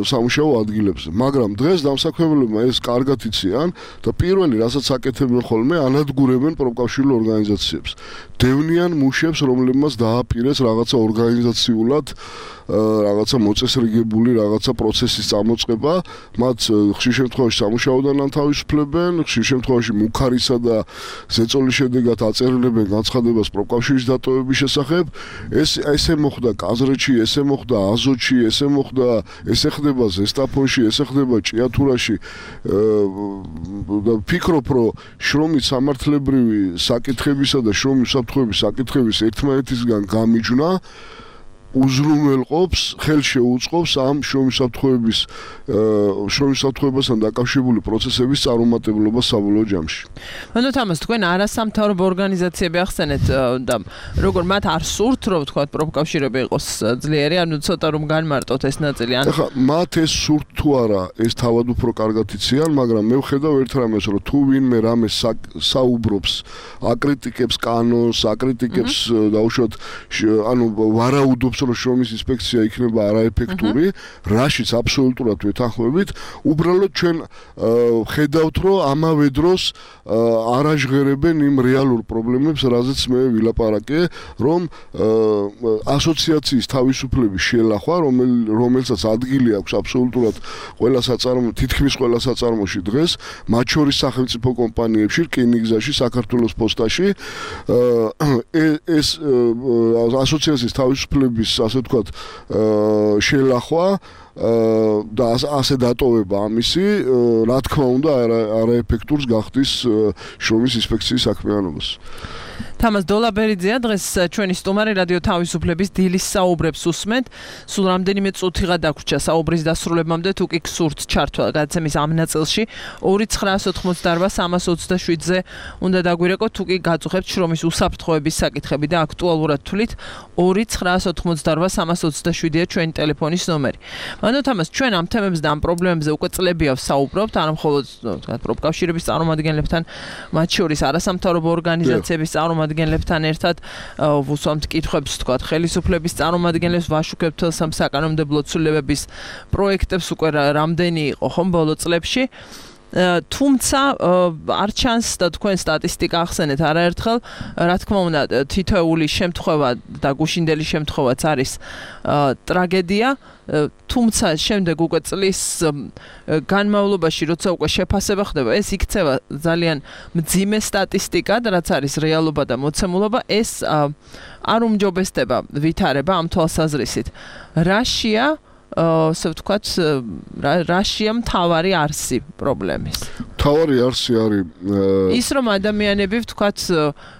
სამუშაო ადგილებზე. მაგრამ დღეს დამსაქმებელებმა ეს კარგად იციან და პირველი რასაც აკეთებენ ხოლმე, ანადგურებენ პროფკავშირულ ორგანიზაციებს. დევნიან მუშებს, რომლებმაც დააპირეს რაღაცა ორგანიზაციულად რაღაცა მოწესრიგებული რაღაცა პროცესის წამოწყება, მათ ხშირ შემთხვევაში სამუშაოდან ანთავისუფლებენ, ხშირ შემთხვევაში მუქარისა და ზეწოლის შედეგად აწერილებენ განცხადებას პროფკავშირის დატოვების შესახებ. ეს ესე მოხდა კაზრეთში, ესე მოხდა აზოტში, ესე მოხდა, ესე ხდება ზესტაფონში, ესე ხდება ჭიათურაში. და ფიქრობ, რომ შრომის სამართლებრივი საკითხებისა და შრომის უსაფრთხოების საკითხების ერთმანეთისგან გამიჯვნა უზრუნველყოფს, ხელშეუწყობს ამ შრომისაფრთხოების შრომისაფრთხოებასთან დაკავშირებული პროცესების წარუმატებლობას საბოლოო ჯამში. ანუ თამას თქვენ არასამთავრობო ორგანიზაციები ახსენეთ და როგორ მათ არ სურთ რომ თქვა პროფკავშირები იყოს ძლიერი, ანუ ცოტა რომ განმარტოთ ეს ნაწილი. ახლა მათ ეს სურთ თუ არა, ეს თავად უფრო კარგად იციან, მაგრამ მე ვხედავ ერთ რამეს, რომ თუ ვინმე რამე საუბრობს, აკრიტიკებს კანონს, აკრიტიკებს დაუშვათ, ანუ ვარაუდობს, რომ შრომის ინსპექცია იქნება არაეფექტური, რაშიც აბსოლუტურად ვეთანხმებით, უბრალოდ ჩვენ ხედავთ, რომ ამავე დროს არაჟღერებენ იმ რეალურ პრობლემებს, რაზეც მე ვილაპარაკე, რომ ასოციაციის თავისუფლების შელახვა, რომელსაც ადგილი აქვს აბსოლუტურად ყველა საწარმო, თითქმის ყველა საწარმოში დღეს, მათ შორის სახელმწიფო კომპანიებში, რკინიგზაში, საქართველოს პოსტაში, ეს ასოციაციის თავისუფლების, ასე ვთქვათ, შელახვა და ასე დატოვება ამისი, რა თქმა უნდა, არაეფექტურს გახდის შრომის ინსპექციის საქმიანობას. თამას დოლაბერიძეა დღეს ჩვენი სტუმარი რადიო თავისუფლების დილის საუბრებს უსმენთ. სულ რამდენიმე წუთიღა დაგვრჩა საუბრის დასრულებამდე, თუ კი გსურთ ჩართვა გადაცემის ამ ნაწილში ორი ცხრაას ოთხმოცდაარბა სამას ოცდაშვიდზე უნდა დაგვირეკოთ, თუ კი გაწუხებთ შრომის უსაფრთხოების საკითხები და აქტუალურად თვლით ორი ცხრაას ოთხმოცდაარბა სამას ოცდაშვიდია ჩვენი ტელეფონის ნომერი. ანუ თამას ჩვენ ამ თემებზე და ამ პრობლემებზე უკვე წლებია ვსაუბრობთ, არა მხოლოდ თქვა პროფკავშირების წარმომადგენლებთან, მათ შორის არასამთავრობო ორგანიზაციების წარმომადგენლებთან ერთად ვუსვამთ კითხვებს, თქვა ხელისუფლების წარმომადგენლებს, ვაშუქებთ ამ საკანონმდებლო ცვლილებების პროექტებს უკვე რამდენი იყო ხომ ბოლო წლებში. თუმცა არ ჩანს და თქვენ სტატისტიკა ახსენეთ არაერთხელ, რა თქმა უნდა, თითოეული შემთხვევა და გუშინდელი შემთხვევაც არის ტრაგედია, თუმცა შემდეგ უკვე წლის განმავლობაში, როცა უკვე შეფასება ხდება, ეს იქცევა ძალიან მძიმე სტატისტიკად, რაც არის რეალობა და მოცემულობა, ეს არ უმჯობესდება ვითარება ამ თვალსაზრისით. რაშია ასე ვთქვათ, რაშია მთავარი არსი პრობლემის? მთავარი არსი არის ის, რომ ადამიანები ვთქვათ,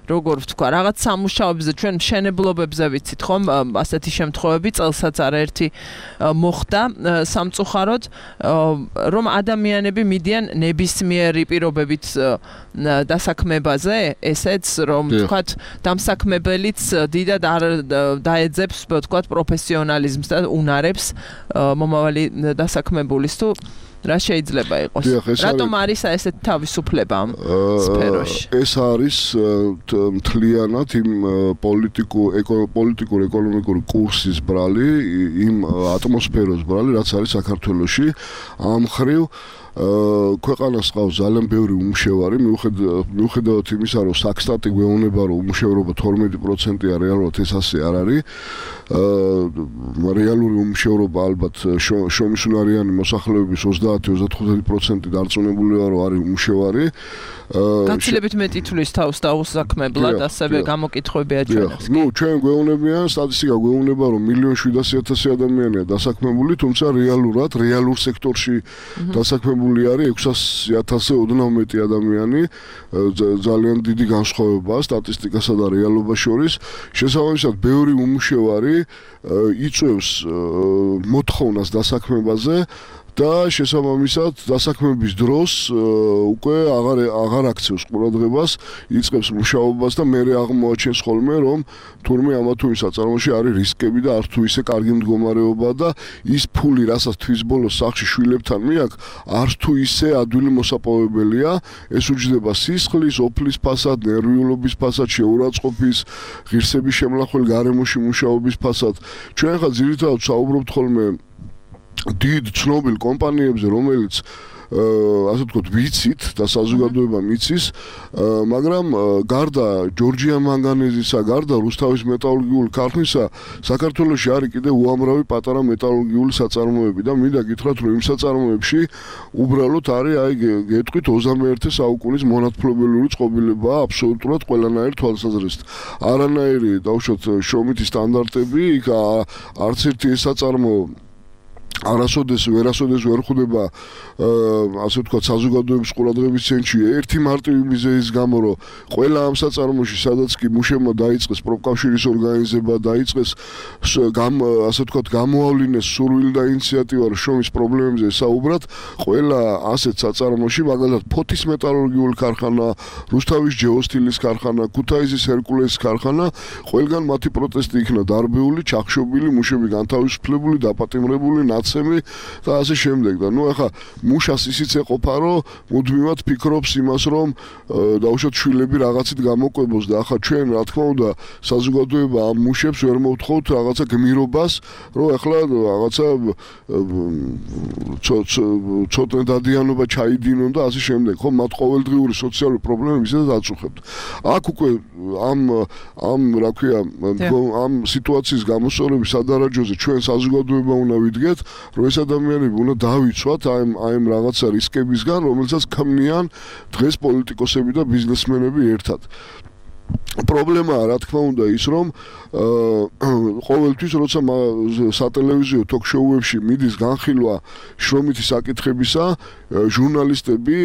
როგორ ვთქვა, რაღაც სამუშაოებზე, ჩვენ მშენებლობებზე ვიცით, ხომ, ასეთი შემთხვევები წელსაც არაერთი მოხდა სამწუხაროდ, რომ ადამიანები მიდიან ნებისმიერი პირობებით დასაქმებაზე, ესეც, რომ ვთქვათ, დამსაქმებელიც დიდად არ დაეძებს, ვთქვათ, პროფესიონალიზმს და უნარებს მომავალი დასაქმებულის თუ რა შეიძლება იყოს? რატომ არის ესეთი თავისუფლება ამ სფეროში? ეს არის მთლიანად იმ პოლიტიკურ ეკონომიკური კურსის ბრალი, იმ ატმოსფეროს ბრალი, რაც არის საქართველოში. ამ მხრივ ქვეყანას ყავს ძალიან ბევრი უმუშევარი, მიუხედავად იმისა, რომ საქსტატი გვეუბნება, რომ უმუშევრობა თორმეტი პროცენტია, რეალურად ეს ასე არ არის. რეალური უმუშევრობა ალბათ შრომისუნარიანი მოსახლეობის ოცდაათი ოცდახუთი პროცენტი დარწმუნებულია, რომ არის უმუშევარი. გაცილებით მეტი თვლის თავს დაუსაქმებლად, ასევე გამოკითხვები აჩვენებს. ნუ ჩვენ გვეუბნებიან, სტატისტიკა გვეუბნება, რომ მილიონ შვიდასი ათასი ადამიანია დასაქმებული, თუმცა რეალურად, რეალურ სექტორში დასაქმებული არის ექვსასი ათასზე ოდნავ მეტი ადამიანი, ძალიან დიდი განსხვავებაა სტატისტიკასა და რეალობას შორის. შესაბამისად, ბევრი უმუშევარი იწვევს მოთხოვნას დასაქმებაზე და შესაბამისად დასაქმების დროს უკვე აღარ აღარ აქცევს ყურადღებას, იწყებს მუშაობას და მერე აღმოაჩენს ხოლმე, რომ თურმე ამა თუ იმ საწარმოში არის რისკები და არ თუ ისე კარგი მდგომარეობა და ის ფული, რასაც თვის ბოლოს სახში შვილებთან მიაქვს, არ თუ ისე ადვილი მოსაპოვებელია, ეს უჯდება სისხლის, ოფლის ფასად, ნერვიულობის ფასად, შეურაცხყოფის, ღირსების შემლახველ გარემოში მუშაობის ფასად. ჩვენ ხა ძირითადად საუბრობთ ხოლმე დიდ ცნობილ კომპანიებზე, რომელიც ასე ვთქვათ, ვიცით და საზოგადოება მიცის, მაგრამ გარდა ჯორჯია მანგანეზისა, გარდა რუსთავის მეტალურგიული ქარხნისა, საქართველოში არის კიდევ უამრავი პატარა მეტალურგიული საწარმოები და მინდა გითხრათ, რომ იმ საწარმოებში უბრალოდ არის, აი გეტყვით ოცდამეერთე საუკუნის მონათმფლობელური წყობილება აბსოლუტურად ყველანაირ თვალსაზრისით. არანაირი, დაუშვათ, შრომითი სტანდარტები, იქ არც ერთი ეს საწარმოო არასოდეს ვერასოდეს ვერ ხვდება ასე ვთქვათ საზოგადოების ყურადღების ცენტრში ერთი მარტივი მიზეზის გამო რომ ყველა ამ საწარმოში სადაც კი მუშებმა დაიწყეს პროფკავშირის ორგანიზება დაიწყეს ასე ვთქვათ გამოავლინეს სურვილი და ინიციატივა რომ შრომის პრობლემებზე საუბრად ყველა ასეთ საწარმოში მაგალითად ფოთის მეტალურგიული ქარხანა რუსთავის ჯეოსტილის ქარხანა ქუთაისის ჰერკულესის ქარხანა ყველგან მათი პროტესტი იქნა დარბეული ჩახშობილი მუშები განთავისუფლებული დაპატიმრებული ნაცემი და ასე შემდეგ და ნუ ახლა მუშას ისიც ეყოფა რომ მუდმივად ფიქრობს იმას რომ დაუშვათ შვილები რაღაცით გამოყვებოს და ახლა ჩვენ რა თქმა უნდა საზოგადოება ამ მუშებს ვერ მოვთხოვთ რაღაცა გმირობას რომ ახლა რაღაცა ცოტნე დადიანობა ჩაიდინონ და ასე შემდეგ ხო მათ ყოველდღიური სოციალური პრობლემები ისედაც აწუხებთ აქ უკვე ამ ამ რა ქვია ამ სიტუაციის გამოსწორების სადარაჯოზე ჩვენ საზოგადოება უნდა ვიდგეთ რომ ეს ადამიანები უნდა დავიცვათ აი აი რაღაცა რისკებისგან, რომელსაც ქმნიან დღეს პოლიტიკოსები და ბიზნესმენები ერთად. პრობლემაა, რა თქმა უნდა, ის რომ ყოველთვის როცა სატელევიზიო ток-შოუებში მიდის განხილვა შრომითი საკითხებისა, ჟურნალისტები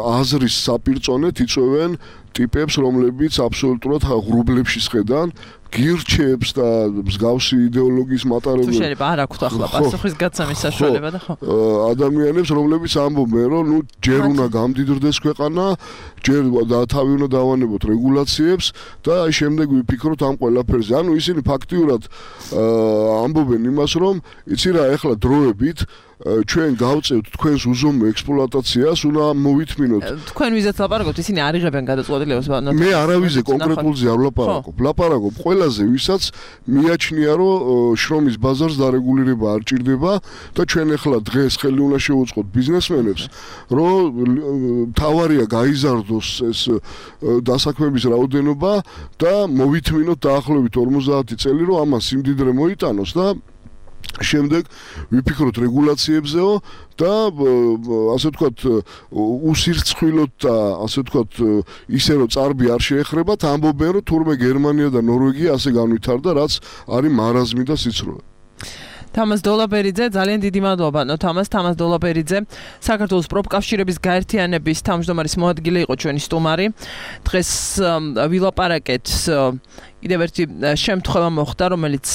აზრის საპირწონეთ იწვევენ ტიპებს, რომლებიც აბსოლუტურად ღრუბლებში შედან გირჩებს და მსგავსი იდეოლოგიის მატარებელ. თუ შეიძლება არ აქვთ ახლა პასუხის გაცემის საშუალება და ხო. ადამიანებს, რომლებიც ამბობენ, რომ ნუ ჯერ უნდა გამდიდრდეს ქვეყანა, ჯერ და თავი უნდა დავანებოთ რეგულაციებს და აი შემდეგ ვიფიქროთ ამ ყველაფერზე. ანუ ისინი ფაქტიურად ამბობენ იმას, რომ იცი რა, ეხლა დროებით ჩვენ გავწევთ თქვენს უზომო ექსპლუატაციას, უნდა მოვითმინოთ. თქვენ ვიზეთ ლაპარაკობთ, ისინი არ იღებენ გადაწყვეტილებას. მე არავიზე კონკრეტულზე არ ვლაპარაკობ. ლაპარაკობ ყველაზე, ვისაც მიაჩნია, რომ შრომის ბაზარს დარეგულირება არ ჭირდება და ჩვენ ახლა დღეს ხელი უნდა შევუწყოთ ბიზნესმენებს, რომ თავარია გაიზარდოს ეს დასაქმების რაოდენობა და მოვითმინოთ დაახლოებით ორმოცდაათი წელი, რომ ამას სიმდიდრე მოიტანოს და შემდეგ ვიფიქროთ რეგულაციებზეო და ასე ვთქვათ უსირცხვილოთ და ასე ვთქვათ ისე რომ წარბი არ შეეხრებათ ამბობენ რომ თურმე გერმანია და ნორვეგია ასე განვითარდა რაც არის მარაზმი და სიცრუე. თამას დოლაბერიძე, ძალიან დიდი მადლობა. ნო თამას, თამას დოლაბერიძე, საქართველოს პროფკავშირების გაერთიანების თავმჯდომარის მოადგილე იყო ჩვენი სტუმარი. დღეს ვილაპარაკეთ კიდევ ერთი შემთხვევა მოხდა, რომელიც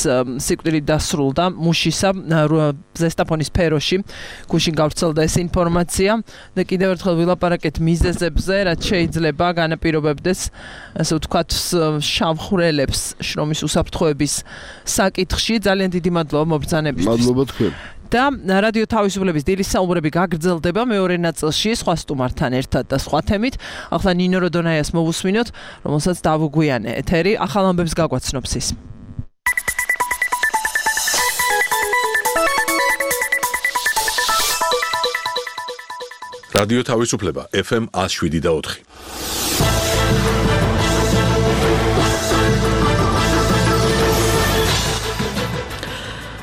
სიკვდილით დასრულდა მუშისა ზესტაფონის სფეროში. გუშინ გავრცელდა ეს ინფორმაცია და კიდევ ერთხელ ვილაპარაკეთ მიზეზებზე, რაც შეიძლება განაპირობებდეს, ასე ვთქვათ, შავხვრელებს შრომის უსაფრთხოების საკითხში. ძალიან დიდი მადლობა მობრძანებისთვის. მადლობა თქვენ. და რადიო თავისუფლების დილის საუბრები გაგრძელდება მეორე ნაწილში სხვა სტუმართან ერთად და სხვა თემით. ახლა ნინო როდონაიას მოვუსმინოთ, რომელსაც დავუგვიანე ეთერი, ახალ ამბებს გაგვაცნობს ის. რადიო თავისუფლება ეფ ემ one oh seven და four.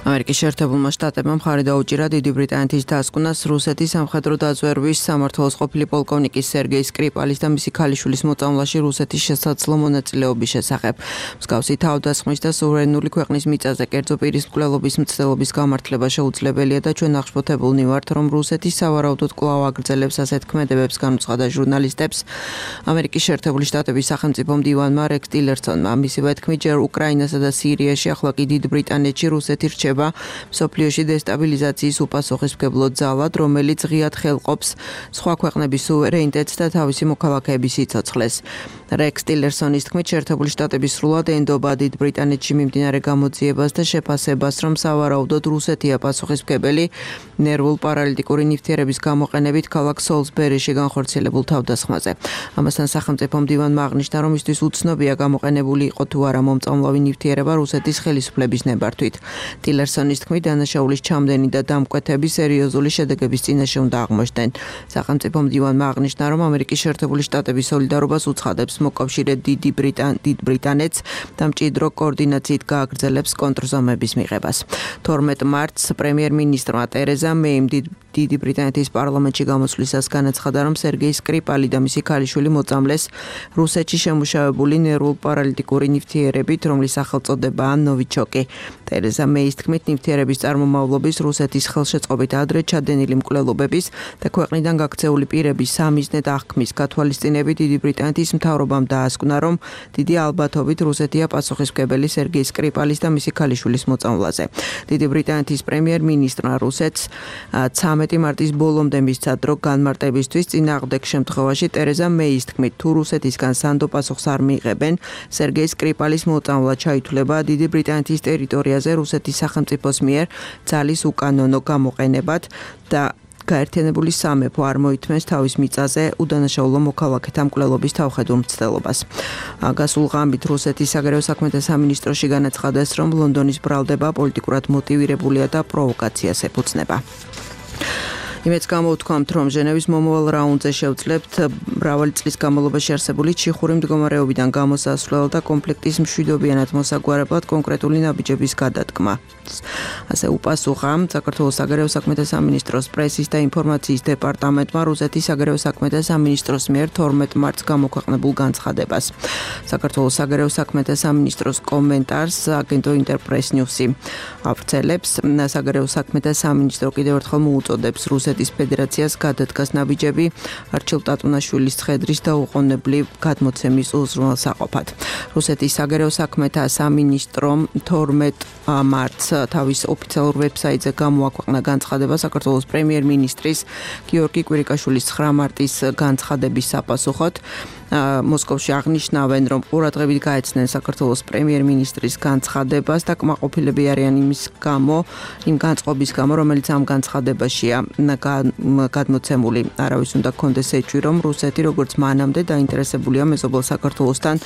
ამერიკის შეერთებულმა შტატებმა მხარი დაუჭირა დიდი ბრიტანეთის დასკვნას რუსეთის სამხედრო დაზვერვის სამმართველოს ყოფილი პოლკოვნიკის სერგეი სკრიპალის და მისი ქალიშვილის მოწამვლაში რუსეთის შესაძლო მონაწილეობის შესახებ. მსგავსი თავდასხმის და სუვერენული ქვეყნის მიწაზე კერძო პირის მკვლელობის მცდელობის გამართლება შეუძლებელია და ჩვენ აღშფოთებულნი ვართ, რომ რუსეთი სავარაუდოდ კვლავ აგრძელებს ასეთ ქმედებებს, განუცხადა ჟურნალისტებს. ამერიკის შეერთებული შტატების სახელმწიფო მდივანმა რექს ტილერსონმა მისივე თქმით, ჯერ უკრაინასა და სირიაში, ახლა კი დიდ ბრიტანეთში რუსეთი რჩება მსოფლიოში დესტაბილიზაციის უპასუხისმგებლო ძალად, რომელიც ღიად ხელყოფს სხვა ქვეყნების სუვერენიტეტს და თავისი მოქალაქეების სიცოცხლეს. რექს ტილერსონის თქმით, შეერთებული შტატები სრულად ენდობა დიდ ბრიტანეთში მიმდინარე გამოძიებას და შეფასებას, რომ სავარაუდოდ რუსეთია პასუხისმგებელი ნერვულ პარალიტიკური ნივთიერების გამოყენებით ქალაქ სოლსბერიში განხორციელებულ თავდასხმაზე. ამასთან სახელმწიფო მდივანმა აღნიშნა, რომ მისთვის უცნობია გამოყენებული იყო თუ არა მომწამლავი ნივთიერება რუსეთის ხელისუფლების ნებართვით. ტილერსონის თქმით, დანაშაულის ჩამდენი და დამკვეთები სერიოზული შედეგების წინაშე უნდა აღმოჩნდნენ. სახელმწიფო მდივანმა აღნიშნა, რომ ამერიკის შეერთებული შტატების სოლიდარობას უცხადებს მოკავშირე დიდი ბრიტან დიდ ბრიტანეთს და მჭიდრო კოორდინაციით გააგრძელებს კონტრზომების მიღებას. თორმეტ მარტს პრემიერ-მინისტრმა ტერეზა მეიმ დიდი ბრიტანეთის პარლამენტში გამოსვლისას განაცხადა, რომ სერგეი სკრიპალი და მისი ქალიშვილი მოწამლეს რუსეთში შემუშავებული ნერვულ პარალიტიკური ნივთიერებით, რომლის სახელწოდებაა ნოვიჩოკი. ტერეზა მეის თქმით, თქმით, ნივთიერების წარმომავლობის რუსეთის ხელშეწყობით ადრე ჩადენილი მკვლელობების და ქვეყნიდან გაქცეული პირების სამიზნედ აღქმის გათვალისწინებით დიდი ბრიტანეთის მთავრობამ დაასკვნა, რომ დიდი ალბათობით რუსეთია პასუხისმგებელი სერგეი სკრიპალის და მისი ქალიშვილის მოწამვლაზე. დიდი ბრიტანეთის პრემიერ-მინისტრმა რუსეთს ცამეტი მარტის ბოლომდე მისცა დრო განმარტებისთვის, წინააღმდეგ შემთხვევაში ტერეზა მეის თქმით, თუ რუსეთისგან სანდო პასუხს არ მიიღებენ, სერგეი სკრიპალის მოწამვლა ჩაითვლება დიდი ბრიტანეთის ტერიტორიაზე რუსეთის სახელმწიფოს მიერ ძალის უკანონო გამოყენებად და გაერთიანებული სამეფო არ მოითმენს თავის მიწაზე უდანაშაულო მოქალაქეთა მკვლელობის თავხედურ მცდელობას. გასულ ღამით რუსეთის საგარეო საქმეთა სამინისტროში განაცხადეს, რომ ლონდონის ბრალდება პოლიტიკურად მოტივირებულია და პროვოკაციას ეფუძნება. იმედს გამოვთქვამთ, რომ ჟენევის მომავალ რაუნდზე შევძლებთ მრავალი წლის განმავლობაში არსებული ჩიხური მდგომარეობიდან გამოსასვლელ და კონფლიქტის მშვიდობიანად მოსაგვარებლად კონკრეტული ნაბიჯების გადადგმა. ასე უპასუხა საქართველოს საგარეო საქმეთა სამინისტროს პრესის და ინფორმაციის დეპარტამენტმა რუსეთის საგარეო საქმეთა სამინისტროს მიერ თორმეტ მარტს გამოქვეყნებულ განცხადებას. საქართველოს საგარეო საქმეთა სამინისტროს კომენტარს აგენტო ინტერპრეს ნიუსი ავრცელებს. საგარეო საქმეთა სამინისტრო კიდევ ერთხელ მოუწოდებს რუსეთის ფედერაციას გადადგას ნაბიჯები არჩილ ტატუნაშვილის ცხედრის დაუყოვნებლივ გადმოცემის უზრუნველსაყოფად. რუსეთის საგარეო საქმეთა სამინისტრომ თორმეტ მარტს თავის ოფიციალურ ვებსაიტზე გამოაქვეყნა განცხადება საქართველოს პრემიერ-მინისტრის გიორგი კვირიკაშვილის ცხრა მარტის განცხადების საპასუხოდ. მოსკოვში აღნიშნავენ, რომ ყურადღებით გაეცნენ საქართველოს პრემიერ-მინისტრის განცხადებას და კმაყოფილები არიან იმის გამო, იმ განწყობის გამო, რომელიც ამ განცხადებაშია გადმოცემული. არავის უნდა გქონდეს ეჭვი, რომ რუსეთი როგორც მანამდე დაინტერესებულია მეზობელ საქართველოსთან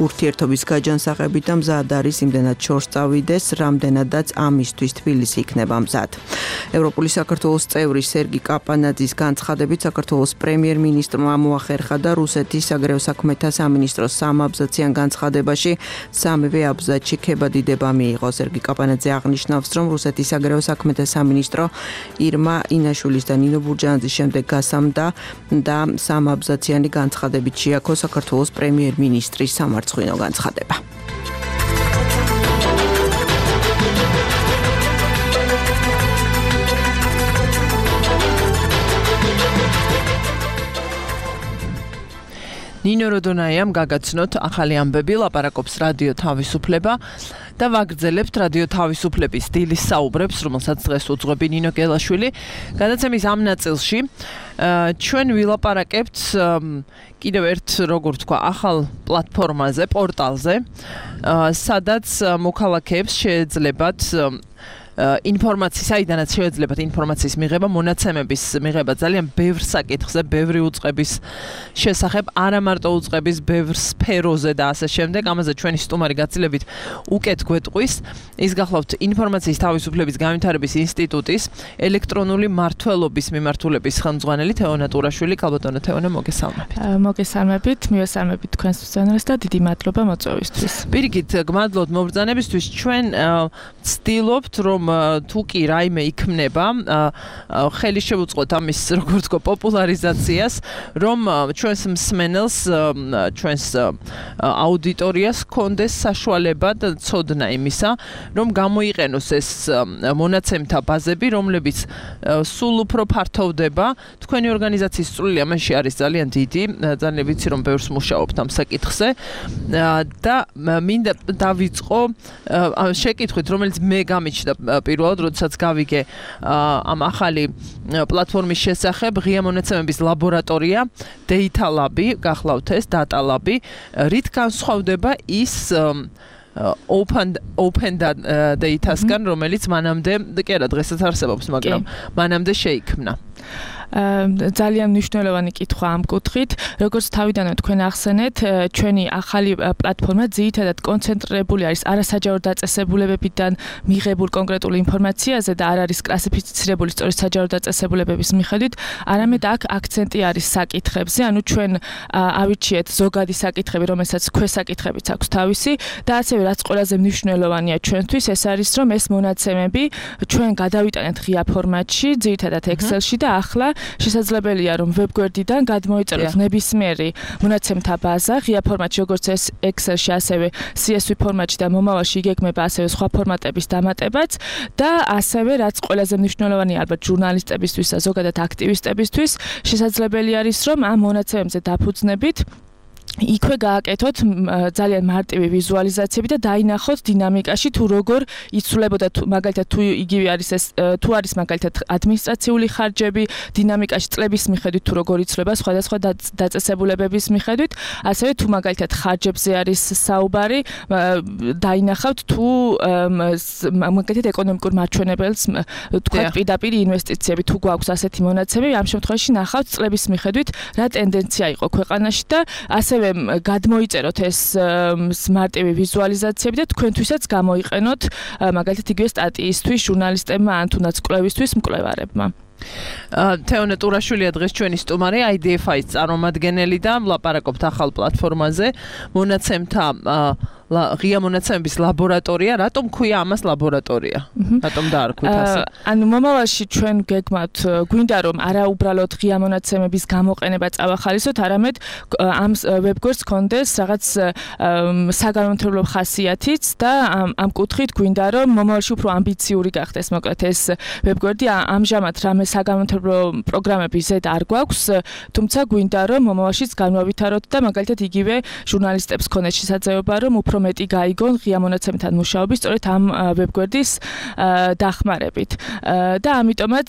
ურთიერთობის გაჯანსაღებით და მზად არის იმდენად შორს წავიდეს, რამდენადაც ამისთვის თბილისი იქნება მზად. ევროპული საქართველოს წევრი სერგი კაპანაძის განცხადებით საქართველოს პრემიერ-მინისტრმა მოახერხა და რუსეთის საგარეო საქმეთა სამინისტროს სამაბზაციან განცხადებაში სამივე აბზაცში ქებადიდება მიიღო. სერგი კაპანაძე აღნიშნავს, რომ რუსეთის საგარეო საქმეთა სამინისტრო ირმა ინაშვილის და ნინო ბურჯანაძის შემდეგ გასამდა და სამაბზაციანი განცხადებით შეაქო საქართველოს პრემიერ-მინისტრის სამარცხვინო განცხადება. ნინო როდონაიამ გაგაცნოთ ახალი ამბები, ლაპარაკობს რადიო თავისუფლება და ვაგრძელებთ რადიო თავისუფლების დილის საუბრებს, რომელსაც დღეს უძღვები ნინო გელაშვილი. გადაცემის ამ ნაწილში ჩვენ ვილაპარაკებთ კიდევ ერთ, როგორ ვთქვა, ახალ პლატფორმაზე, პორტალზე, სადაც მოქალაქეებს შეეძლებათ ინფორმაციის, საიდანაც შეეძლებათ ინფორმაციის მიღება, მონაცემების მიღება ძალიან ბევრ საკითხზე, ბევრი უწყების შესახებ, არა მარტო უწყების, ბევრ სფეროზე და ასე შემდეგ. ამაზე ჩვენი სტუმარი გაცილებით უკეთ გვეტყვის. ის გახლავთ ინფორმაციის თავისუფლების განვითარების ინსტიტუტის ელექტრონული მმართველობის მიმართულების ხელმძღვანელი თეონა ტურაშვილი. ქალბატონო თეონა, მოგესალმებით. მოგესალმებით, მივესალმებით თქვენს მსმენელს და დიდი მადლობა მოწვევისთვის. პირიქით, გმადლობთ მობრძანებისთვის. ჩვენ ვცდილობთ, რომ თუ კი რაიმე იქმნება, ხელი შევუწყოთ ამის, როგორ ვთქვა, პოპულარიზაციას, რომ ჩვენს მსმენელს, ჩვენს აუდიტორიას ჰქონდეს საშუალება და ცოდნა იმისა, რომ გამოიყენოს ეს მონაცემთა ბაზები, რომლებიც სულ უფრო ფართოვდება. თქვენი ორგანიზაციის წვლილი ამაში არის ძალიან დიდი, ძალიან ვიცი, რომ ბევრს მუშაობთ ამ საკითხზე და მინდა დავიწყო შეკითხვით, რომელიც მე გამიჩნდა პირველად, როდესაც გავიგე ამ ახალი პლატფორმის შესახებ, ღია მონაცემების ლაბორატორია, Data Lab-ი, გახლავთ ეს Data Lab-ი, რით განსხვავდება ის open open data-სგან, რომელიც მანამდე, კი არა, დღესაც არსებობს, მაგრამ მანამდე შეიქმნა. ძალიან მნიშვნელოვანი კითხვა ამ კუთხით. როგორც თავიდანვე თქვენ ახსენეთ, ჩვენი ახალი პლატფორმა ძირითადად კონცენტრირებული არის არასაჯარო დაწესებულებებიდან მიღებულ კონკრეტულ ინფორმაციაზე და არ არის კლასიფიცირებული სწორედ საჯარო დაწესებულებების მიხედვით, არამედ აქ აქცენტი არის საკითხებზე, ანუ ჩვენ ავირჩიეთ ზოგადი საკითხები, რომელსაც ქვესაკითხებიც აქვს თავისი და ასევე რაც ყველაზე მნიშვნელოვანია ჩვენთვის, ეს არის, რომ ეს მონაცემები ჩვენ გადავიტანეთ ღია ფორმატში, ძირითადად Excel-ში და ახლა შესაძლებელია რომ ვებგვერდიდან გადმოიწეროთ ნებისმიერი მონაცემთა ბაზა ღია ფორმატში როგორც ეს Excel-ში ასევე C S V ფორმატში და მომავალში იგეგმება ასევე სხვა ფორმატების დამატებაც და ასევე რაც ყველაზე მნიშვნელოვანია ალბათ ჟურნალისტებისთვის და ზოგადად აქტივისტებისთვის შესაძლებელი არის რომ ამ მონაცემებზე დაფუძნებით იქვე გააკეთოთ ძალიან მარტივი ვიზუალიზაციები და დაინახოთ დინამიკაში თუ როგორ იცვლებოდა მაგალითად თუ იგივე არის ეს თუ არის მაგალითად ადმინისტრაციული ხარჯები დინამიკაში წლების მიხედვით თუ როგორ იცვლება სხვადასხვა დაწესებულებების მიხედვით ასევე თუ მაგალითად ხარჯებზე არის საუბარი დაინახავთ თუ მაგალითად ეკონომიკურ მარჩვენებელს თქვა პირდაპირ ინვესტიციები თუ გვაქვს ასეთი მონაცემები ამ შემთხვევაში ნახავთ წლების მიხედვით რა ტენდენცია იყო ქვეყანაში და ასევე გადმოიწეროთ ეს მარტივი ვიზუალიზაციები და თქვენთვისაც გამოიყენოთ მაგალითად იგივე სტატიისთვის, ჟურნალისტებმა ან თუნდაც კვლევისთვის მკვლევარებმა. თეონე ტურაშვილია დღეს ჩვენი სტუმარი I D F I-ს წარმომადგენელი და ვლაპარაკობთ ახალ პლატფორმაზე მონაცემთა ღია მონაცემების ლაბორატორია, რატომ ქვია ამას ლაბორატორია? რატომ დაარქვით ასე? ანუ მომავალში ჩვენ გეგმავთ გვინდა რომ არა უბრალოდ ღია მონაცემების გამოყენება წავახალისოთ, არამედ ამ ვებგვერდს კონდეს რაღაც საგანმანათლებლო ხასიათიც და ამ კუთხით გვინდა რომ მომავალში უფრო ამბიციური გახდეს, მოკლედ ეს ვებგვერდი ამჟამად რამე საგანმანათლებლო პროგრამები ზედ არ გვაქვს, თუმცა გვინდა რომ მომავალშიც განვავითაროთ და მაგალითად იგივე ჟურნალისტებს ქონდეს შესაძლებლობა რომ უფრო მეტი გაიგონ ღია მონაცემთან მუშაობის სწორედ ამ ვებგვერდის დახმარებით და ამიტომაც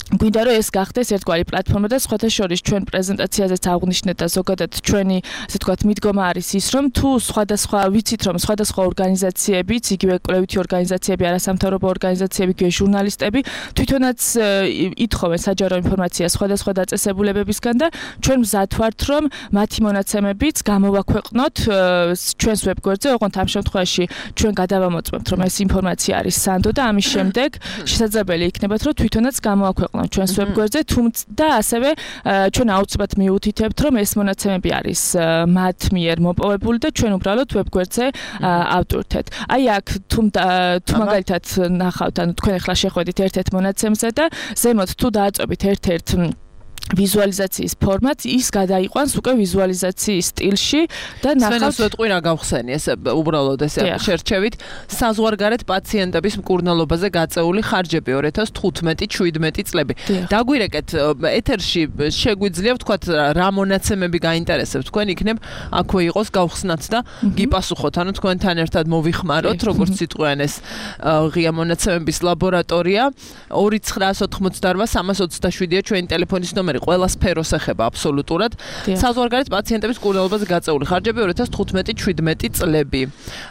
გვინდა რომ ეს გახდეს ერთგვარი პლატფორმა და სხვათა შორის ჩვენ პრეზენტაციაზეც აღვნიშნეთ და ზოგადად ჩვენი ასე ვთქვათ მიდგომა არის ის რომ თუ სხვადასხვა ვიცით რომ სხვადასხვა ორგანიზაციებიც იგივე კვლევითი ორგანიზაციები არასამთავრობო ორგანიზაციები იგივე ჟურნალისტები თვითონაც ითხოვენ საჯარო ინფორმაციას სხვადასხვა დაწესებულებებისგან და ჩვენ მზად ვართ რომ მათი მონაცემებიც გამოვაქვეყნოთ ჩვენს ვებგვერდზე ოღონდ ამ შემთხვევაში ჩვენ გადავამოწმებთ რომ ეს ინფორმაცია არის სანდო და ამის შემდეგ შესაძლებელი იქნებათ რომ თვითონაც გამოვაქვეყნოთ ჩვენს ვებგვერდზე, თუმცა და ასევე ჩვენ აუცილებლად მიუთითებთ, რომ ეს მონაცემები არის მათ მიერ მოპოვებული და ჩვენ უბრალოდ ვებგვერდზე ავტვირთეთ. აი აქ თუ თუ მაგალითად ნახავთ, ანუ თქვენ ახლა შეხვედით ერთ-ერთ მონაცემზე და ზემოთ თუ დააწვევით ერთ-ერთ ვიზუალიზაციის ფორმატს ის გადაიყვანს უკვე ვიზუალიზაციის სტილში და ნახავთ სვეტყვი რა გავხსენი ეს უბრალოდ ეს შერჩევით საზღვარგარეთ პაციენტების მკურნალობაზე გაწეული ხარჯები ორი ათას თხუთმეტი შვიდმეტი წლები დაგვირეკეთ ეთერში შეგვიძლია ვთქვათ რა მონაცემები გაინტერესებთ თქვენ იქნებ აქვე იყოს გავხსნათ და გიპასუხოთ ანუ თქვენთან ერთად მოვიხმაროთ როგორც სიტყვიან ეს ღია მონაცემების ლაბორატორია ორი ცხრაას ოთხმოცდაორვა სამას ოცდაშვიდია ჩვენი ტელეფონის ნომერი ყველა სფეროს ეხება აბსოლუტურად. საზღვარგარეთ პაციენტების მკურნალობაზე გაწეული ხარჯები ორი ათას თხუთმეტი შვიდმეტი წლები.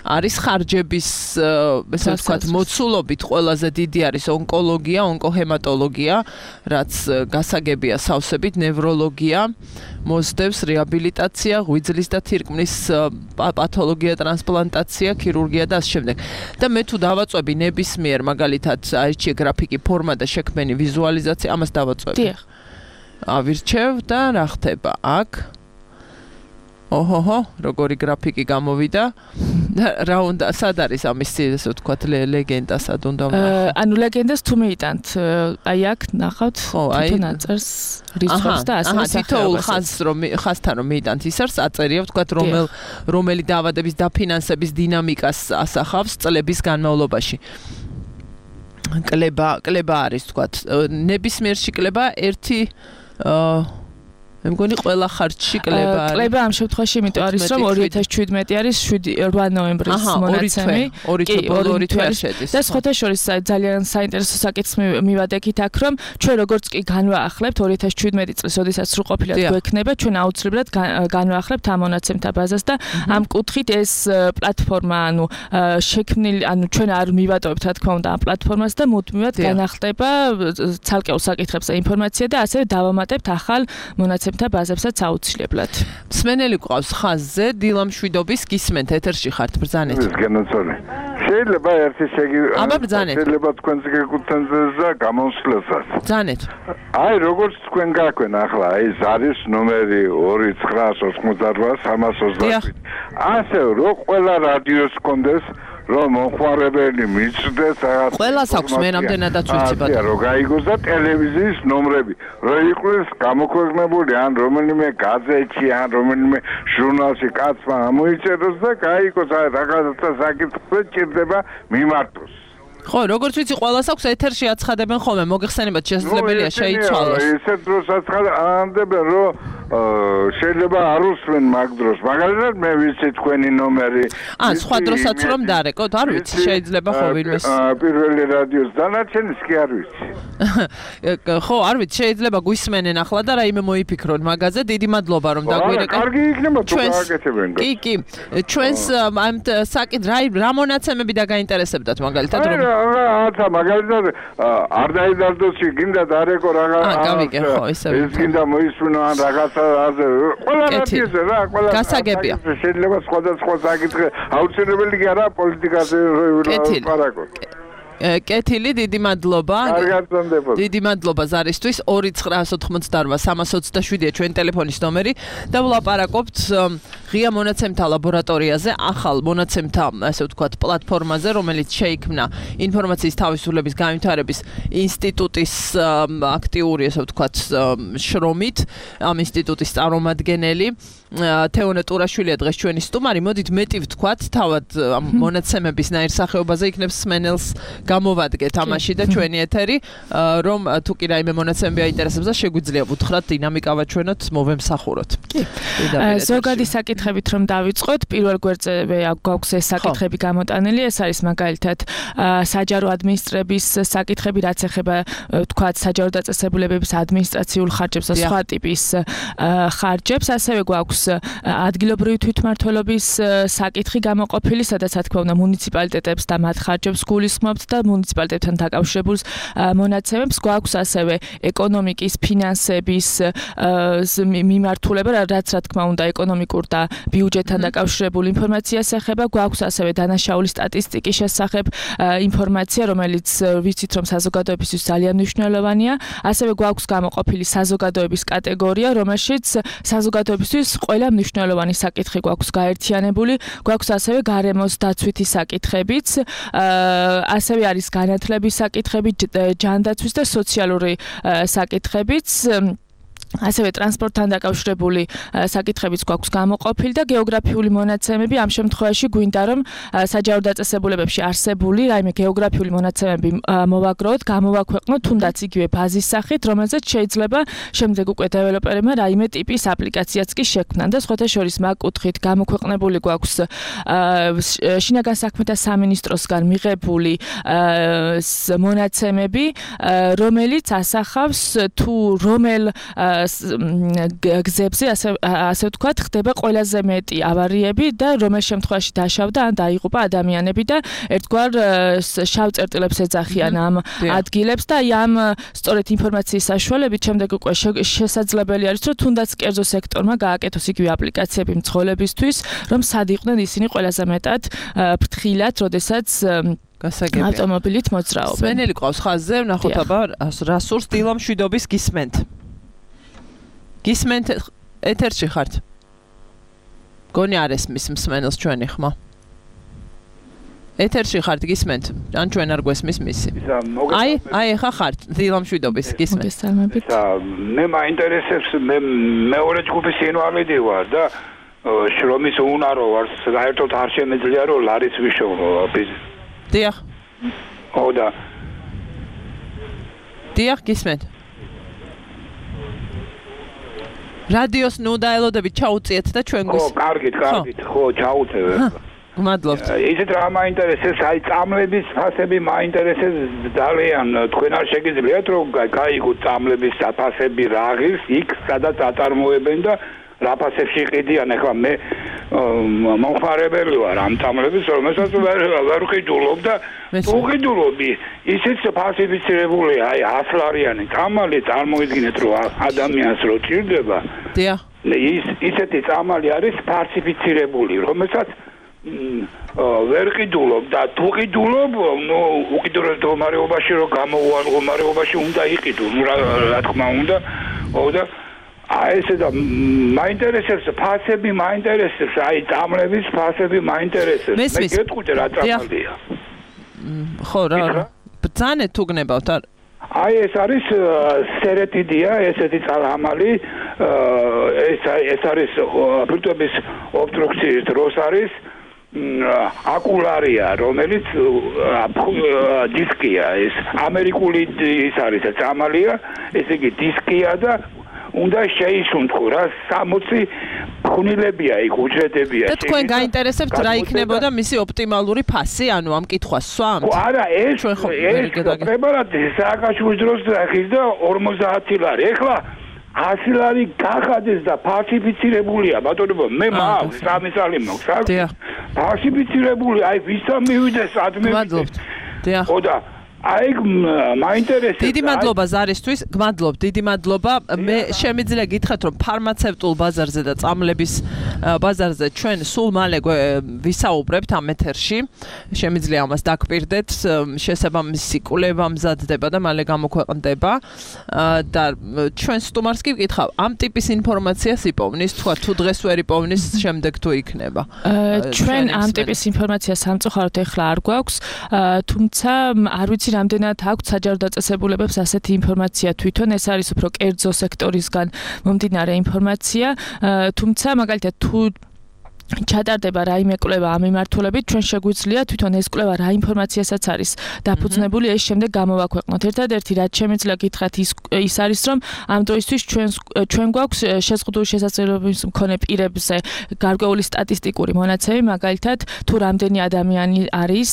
არის ხარჯების ესე ვთქვათ მოცულობით ყველაზე დიდი არის ონკოლოგია, ონკოჰემატოლოგია, რაც გასაგებია სავსებით, ნევროლოგია, მოსდევს რეაბილიტაცია, ღვიძლის და თირკმლის პათოლოგია, ტრანსპლანტაცია, ქირურგია და ასე შემდეგ. და მე თუ დავაწვევი ნებისმიერ მაგალითად აირჩიე გრაფიკი ფორმა და შექმენი ვიზუალიზაცია, ამას დავაწვევი. დიახ. ავირჩევ და რა ხდება აქ? ოჰოჰო, როგორი გრაფიკი გამოვიდა? რა უნდა, სად არის ამის ესე ვთქვათ ლეგენდა სად უნდა ვნახოთ? ანუ ლეგენდას თუ მიიტანთ, აი აქ ნახავთ თვითონ აწერს რიცხვებს და ასე ახლა თითოეულ ხაზს რომ ხაზთან რომ მიიტანთ ის არის აწერია ვთქვათ რომელ რომელი დაავადების დაფინანსების დინამიკას ასახავს წლების განმავლობაში. კლება კლება არის ვთქვათ ნებისმიერში კლება ერთი მე მგონი ყველა ხარჯში კლება არის. კლება ამ შემთხვევაში იმიტომ არის რომ ორი ათას შვიდმეტი არის რვა ნოემბრის მონაცემი. კი, ორი თვე შედის. და სხვათა შორის ძალიან საინტერესო საკითხს მივადექით აქ რომ ჩვენ როგორც კი განვაახლებთ ორი ათას შვიდმეტი წლის ოდესაც სრულყოფილად გვექნება ჩვენ აუცილებლად განვაახლებთ ამ მონაცემთა ბაზას და ამ კუთხით ეს პლატფორმა ანუ შექმნილი ანუ ჩვენ არ მივატოვებთ რა თქმა უნდა ამ პლატფორმას და მუდმივად განახტება ცალკეულ საკითხებზე ინფორმაცია და ასევე დავამატებთ ახალ მონაცემ და ბაზებსაც აუცილებლად. მსმენელი გვყავს ხაზზე, დილა მშვიდობის გისმენთ ეთერში ხართ ბრძანეთ. განაცოლე. შეიძლება ერთი შეგი აბა ბრძანეთ. შეიძლება თქვენს გეკუთვნილდეს და გამოსვლასაც. ბრძანეთ. აი როგორც თქვენ გაქვენ ახლა, ეს არის ნომერი ორი ცხრაას ოთხმოცდაორვა სამას ოცდაშვიდი. ასე რომ ყველა რადიოს კონდეს რომ მომხმარებელი მიცდეს რაღაც ყველას აქვს მე რამდენადაც ვიცი ბატონო რომ გაიგოს და ტელევიზიის ნომრები რომ იყოს გამოქვეყნებული ან რომელიმე გაზეთში ან რომელიმე ჟურნალში კაცმა ამოიწეროს და გაიგოს რაღაცა საკითხი ჭირდება მიმართოს ხო, როგორც ვიცი, ყველას აქვს ეთერში აცხადებენ ხოლმე, მოგეხსენებათ შესაძლებელია შეიცვალოს. ისეთ დროს აცხადებენ, რომ შეიძლება არ უსმენ მაგ დროს. მაგალითად, მე ვიცი თქვენი ნომერი. ან სხვა დროსაც რომ დარეკოთ, არ ვიცი, შეიძლება ხო ვინმეს. პირველი რადიოს დანარჩენის კი არ ვიცი. ხო, არ ვიცი, შეიძლება გვისმენენ ახლა და რაიმე მოიფიქრონ მაგაზე. დიდი მადლობა რომ დაგვირეკეთ. კარგი იქნება თუ გააკეთებენ. კი, კი. ჩვენს ამ საკითხ რა მონაცემები დაგაინტერესებდათ მაგალითად რომ ათა მაგალითად არ დაიდარდოსი გინდა დარეკო რაღაც ეს გინდა მოისმინო ან რაღაცა ასე ყველა რატიზე რა ყველა გასაგებია შეიძლება სხვადასხვა საკითხი აუცილებელი კი არა პოლიტიკაზე ვარაკოთ კეთილი, დიდი მადლობა. კარგად გონდებოდა. დიდი მადლობა ზარისთვის. ორი ცხრა ოთხმოცდაოთხ სამას ოცდაშვიდია ჩვენ ტელეფონის ნომერი და ვლაპარაკობთ ღია მონაცემთა ლაბორატორიაზე, ახალ მონაცემთა, ასე ვთქვათ, პლატფორმაზე, რომელიც შეიქმნა ინფორმაციის თავისუფლების განვითარების ინსტიტუტის აქტიური, ასე ვთქვათ, შრომით, ამ ინსტიტუტის წარმომადგენელი თეონე ტურაშვილია დღეს ჩვენი სტუმარი. მოდით მეტი ვთქვათ, თავად ამ მონაცემების ნაირსახეობაზე იქნებს სმენელს გამოვადგეთ ამაში და ჩვენი ეთერი, რომ თუ კი რაიმე მონაცემები აინტერესებს და შეგვიძლია ვუთხრათ დინამიკა ვაჩვენოთ, მოვემსახუროთ. ზოგადი საკითხებით რომ დავიწყოთ, პირველ გვერდზე გვაქვს ეს საკითხები გამოტანილი, ეს არის მაგალითად საჯარო ადმინისტრების საკითხები, რაც ეხება ვთქვათ საჯარო დაწესებულებების ადმინისტრაციულ ხარჯებს და სხვა ტიპის ხარჯებს, ასევე გვაქვს ადგილობრივი თვითმმართველობის საკითხი გამოყოფილი, სადაც რა თქმა უნდა მუნიციპალიტეტებს და მათ ხარჯებს გულისხმობთ და მუნიციპალიტეტთან დაკავშირებულ მონაცემებს. გვაქვს ასევე ეკონომიკის, ფინანსების მიმართულება, რაც რა თქმა უნდა ეკონომიკურ და ბიუჯეტთან დაკავშირებულ ინფორმაციას ეხება. გვაქვს ასევე დანაშაული სტატისტიკის შესახებ ინფორმაცია, რომელიც ვიცით რომ საზოგადოებისთვის ძალიან მნიშვნელოვანია. ასევე გვაქვს გამოყოფილი საზოგადოების კატეგორია, რომელშიც საზოგადოებისთვის ყველა მნიშვნელოვანი საკითხი გვაქვს გაერთიანებული. გვაქვს ასევე გარემოს დაცვითი საკითხებიც, ასევე არის განათლების საკითხები, ჯანდაცვის და სოციალური საკითხებიც. ასევე ტრანსპორტთან დაკავშირებული საკითხებიც გვაქვს გამოყოფილი და გეოგრაფიული მონაცემები. ამ შემთხვევაში გვინდა რომ საჯარო დაწესებულებებში არსებული რაიმე გეოგრაფიული მონაცემები მოვაგროვოთ, გამოვაქვეყნოთ, თუნდაც იგივე ბაზის სახით, რომელზეც შეიძლება შემდეგ უკვე დეველოპერებმა რაიმე ტიპის აპლიკაციაც კი შექმნან და სხვათა შორის მაგ კუთხით გამოქვეყნებული გვაქვს შინაგან საქმეთა სამინისტროსგან მიღებული მონაცემები, რომელიც ასახავს თუ რომელ გზებზე ასე ასე ვთქვათ, ხდება ყველაზე მეტი ავარიები და რომელ შემთხვევაში დაშავდა ან დაიღუპა ადამიანები და ერთგვარ შავ წერტილებს ეძახიან ამ ადგილებს და ამ სწორედ ინფორმაციის საშუალებით შემდეგ უკვე შესაძლებელი არის, რომ თუნდაც კერძო სექტორმა გააკეთოს იგივე აპლიკაციები მცხოვრებისთვის, რომ სად იყვნენ ისინი ყველაზე მეტად ფრთხილად, როდესაც გასაგებია ავტომობილით მოძრაობენ. სვენელი ყავს ხაზზე, ვნახოთ აბა რა სურს დილა მშვიდობის გისმენთ. გისმენთ ეთერში ხართ? გონი არ ესმის მსმენელს ჩვენი ხმა. ეთერში ხართ გისმენთ? ან ჩვენ არ გვესმის მისი? აი, აი ხა ხართ დილა მშვიდობის გისმენთ. მე მაინტერესებს მე მეორე ჯგუფის ინვალიდი ვარ და შრომის უნარო ვარ, საერთოდ არ შემეძლია რომ ლარიც ვიშოვო. დიახ. ო და დიახ გისმენთ. რადიოს ნუ დაელოდებით ჩაუწიეთ და ჩვენ გვის. ხო, კარგით, კარგით, ხო, ჩაუწევ. გმადლობთ. ისეთ რა მაინტერესებს, აი წამლების ფასები მაინტერესებს ძალიან. თქვენ არ შეგიძლიათ რომ გაიგოთ წამლების ფასები რა ღირს იქ, სადაც აწარმოებენ და რა ფასებში ყიდიან. ახლა მე მომხმარებელი ვარ ამ წამლების, რომელსაც ვერ ვყიდულობ და თუ ვყიდულობი, ისიც ფასიფიცირებულია, აი ასლარიანი წამალი წარმოიდგინეთ რომ ადამიანს რო ჭირდება. დიახ. ის ისეთი წამალი არის ფასიფიცირებული, რომელსაც ვერ ყიდულობ და თუ ყიდულობ, ნუ უკიდურეს მდგომარეობაში რომ გამოუვალ მდგომარეობაში უნდა იყიდო, ნუ რა თქმა უნდა. ო და აი ესე და მაინტერესებს ფასები, მაინტერესებს აი წამლების ფასები მაინტერესებს. მე გეტყვით რა წამალია. ხო რა. ბრძანეთ თუ გნებავთ არ აი ეს არის სერეთიდია, ესეთი წყალამალი, ეს ეს არის ბირთვების ობსტრუქციის დროს არის აკულარია, რომელიც დისკია, ეს ამერიკული ის არის წამალია, ესე იგი დისკია და უნდა შეისუნთქო რა სამოცი ხუნილებია იქ უჯრედებია. და თქვენ გაინტერესებთ რა იქნებოდა მისი ოპტიმალური ფასი, ანუ ამ კითხვას სვამთ? არა, ეს ეს პრეპარატი სააკაშვილის დროს ახის და ორმოცდაათი ლარი. ეხლა ასი ლარი გახადეს და ფალსიფიცირებულია, ბატონო, მე მაქვს სამი წელი მაქვს, აქ. ფალსიფიცირებული, აი ვისთან მივიდეს, სად მივიდეს. მადლობთ. დიახ. ხო და აი მაინტერესებს. დიდი მადლობა ზარისთვის, გმადლობ, დიდი მადლობა. მე შემიძლია გითხრათ, რომ ფარმაცევტულ ბაზარზე და წამლების ბაზარზე ჩვენ სულ მალე ვისაუბრებთ ამ ეთერში. შემიძლია ამას დაგპირდეთ, შესაბამისი კვლევა მზადდება და მალე გამოქვეყნდება. და ჩვენ სტუმარს კი ვკითხავ, ამ ტიპის ინფორმაციას იპოვნის, თქვა თუ დღეს ვერ იპოვნის, შემდეგ თუ იქნება. ჩვენ ამ ტიპის ინფორმაციას სამწუხაროდ ეხლა არ გვაქვს, თუმცა არ ვიცი რამდენად აქვს საჯარო დაწესებულებებს ასეთი ინფორმაცია თვითონ, ეს არის უფრო კერძო სექტორისგან მომდინარე ინფორმაცია, თუმცა მაგალითად თუ ჩატარდება რაიმე კვლევა ამ მიმართულებით, ჩვენ შეგვიძლია თვითონ ეს კვლევა რა ინფორმაციასაც არის დაფუძნებული, ეს შემდეგ გამოვაქვეყნოთ. ერთადერთი რაც შემიძლია გითხრათ ის ის არის, რომ ამ დროისთვის ჩვენ ჩვენ გვაქვს შეზღუდული შესაძლებლობის მქონე პირებზე გარკვეული სტატისტიკური მონაცემი, მაგალითად თუ რამდენი ადამიანი არის,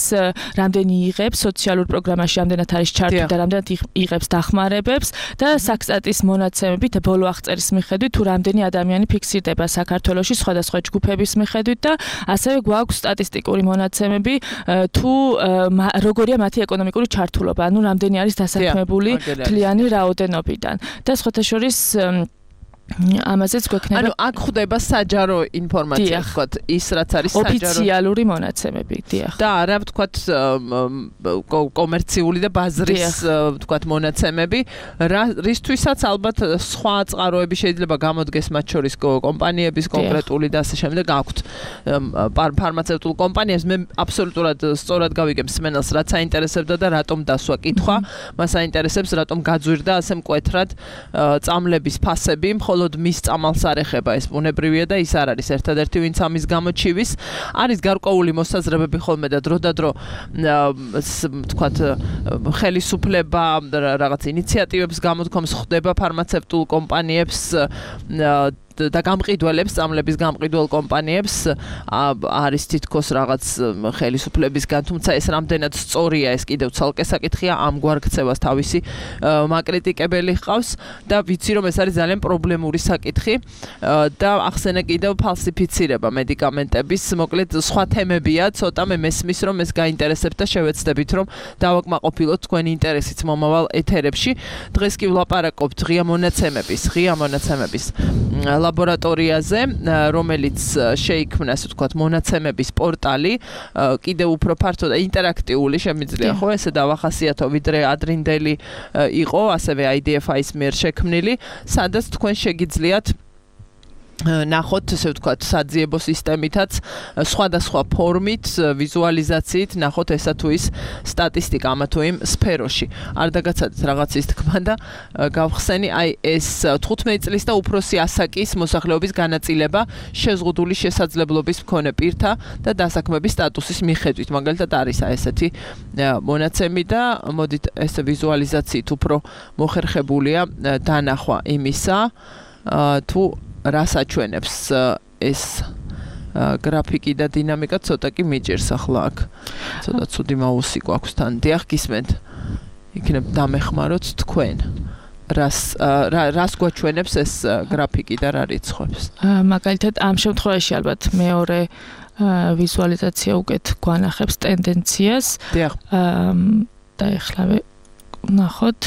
რამდენი იღებს სოციალურ პროგრამაში, რამდენად არის ჩართული და რამდენად იღებს დახმარებებს და საქსტატის მონაცემებით ბოლო აღწერის მიხედვით თუ რამდენი ადამიანი ფიქსირდება საქართველოში სხვადასხვა ჯგუფების მიხედვით და ასევე გვაქვს სტატისტიკური მონაცემები თუ როგორია მათი ეკონომიკური ჩართულობა, ანუ რამდენი არის დასაქმებული მთლიანი რაოდენობიდან. და სხვათა შორის ამაზეც გვექნება. ანუ აქ ხდება საჯარო ინფორმაცია, ვთქვათ, ის რაც არის საჯარო ოფიციალური მონაცემები, დიახ. და არა ვთქვათ კომერციული და ბაზრის ვთქვათ მონაცემები, რისთვისაც ალბათ სხვა წყაროები შეიძლება გამოდგეს მათ შორის კომპანიების კონკრეტული და ასე შემდეგ აქვთ ფარმაცევტულ კომპანიებს. მე აბსოლუტურად სწორად გავიგებ მსმენელს, რაც აინტერესებდა და რატომ დასვა კითხვა, მას აინტერესებს რატომ გაძვირდა ასე მკვეთრად წამლების ფასები, ხოლო მის წამალს არ ეხება ეს ბუნებრივია და ის არ არის ერთადერთი ვინც ამის გამოჩივის. არის გარკვეული მოსაზრებები ხოლმე და დროდადრო ვთქვათ ხელისუფლება რაღაც ინიციატივებს გამოთქვამს, ხდება ფარმაცევტულ კომპანიებს და გამყიდველებს, წამლების გამყიდველ კომპანიებს არის თითქოს რაღაც ხელისუფლებისგან, თუმცა ეს რამდენად სწორია, ეს კიდევ ცალკე საკითხია, ამგვარ ქცევას თავისი მაკრიტიკებელი ჰყავს და ვიცი რომ ეს არის ძალიან პრობლემური საკითხი და ახსენე კიდევ ფალსიფიცირება მედიკამენტების, მოკლედ სხვა თემებია, ცოტა მე მესმის რომ ეს გაინტერესებთ და შევეცდებით რომ დავაკმაყოფილოთ თქვენი ინტერესიც მომავალ ეთერებში. დღეს კი ვლაპარაკობთ ღია მონაცემების, ღია მონაცემების ლაბორატორიაზე, რომელიც შეიქმნა, ასე ვთქვათ, მონაცემების პორტალი, კიდევ უფრო ფართო და ინტერაქტიული შემიძლია, ხო, ესე დავახასიათო, ვიდრე ადრინდელი იყო, ასევე აი დი ეფ აის მიერ შექმნილი, სადაც თქვენ შეგიძლიათ ნახოთ, ესე ვთქვათ, საძიებო სისტემითაც, სხვადასხვა ფორმით, ვიზუალიზაციით, ნახოთ ესა თუ ის სტატისტიკა ამა თუ იმ სფეროში. არ დაგაცადეთ რაღაცის თქმა და გავხსენი, აი ეს თხუთმეტი წლის და უფროსი ასაკის მოსახლეობის განაწილება შეზღუდული შესაძლებლობის მქონე პირთა და დასაქმების სტატუსის მიხედვით. მაგალითად არის აი ესეთი მონაცემი და მოდით ეს ვიზუალიზაციით უფრო მოხერხებულია დანახვა იმისა, თუ რას აჩვენებს ეს გრაფიკი და დინამიკა, ცოტა კი მიჭირს ახლა აქ. ცოტა ცუდი მაუსი გვაქვს თან. დიახ, გისმენთ. იქნებ დამეხმაროთ თქვენ. რას რას გვაჩვენებს ეს გრაფიკი და რა რიცხვებს? მაგალითად, ამ შემთხვევაში ალბათ მეორე ვიზუალიზაცია უკეთ გვანახებს ტენდენციას. დიახ. და ეხლავე ნახოთ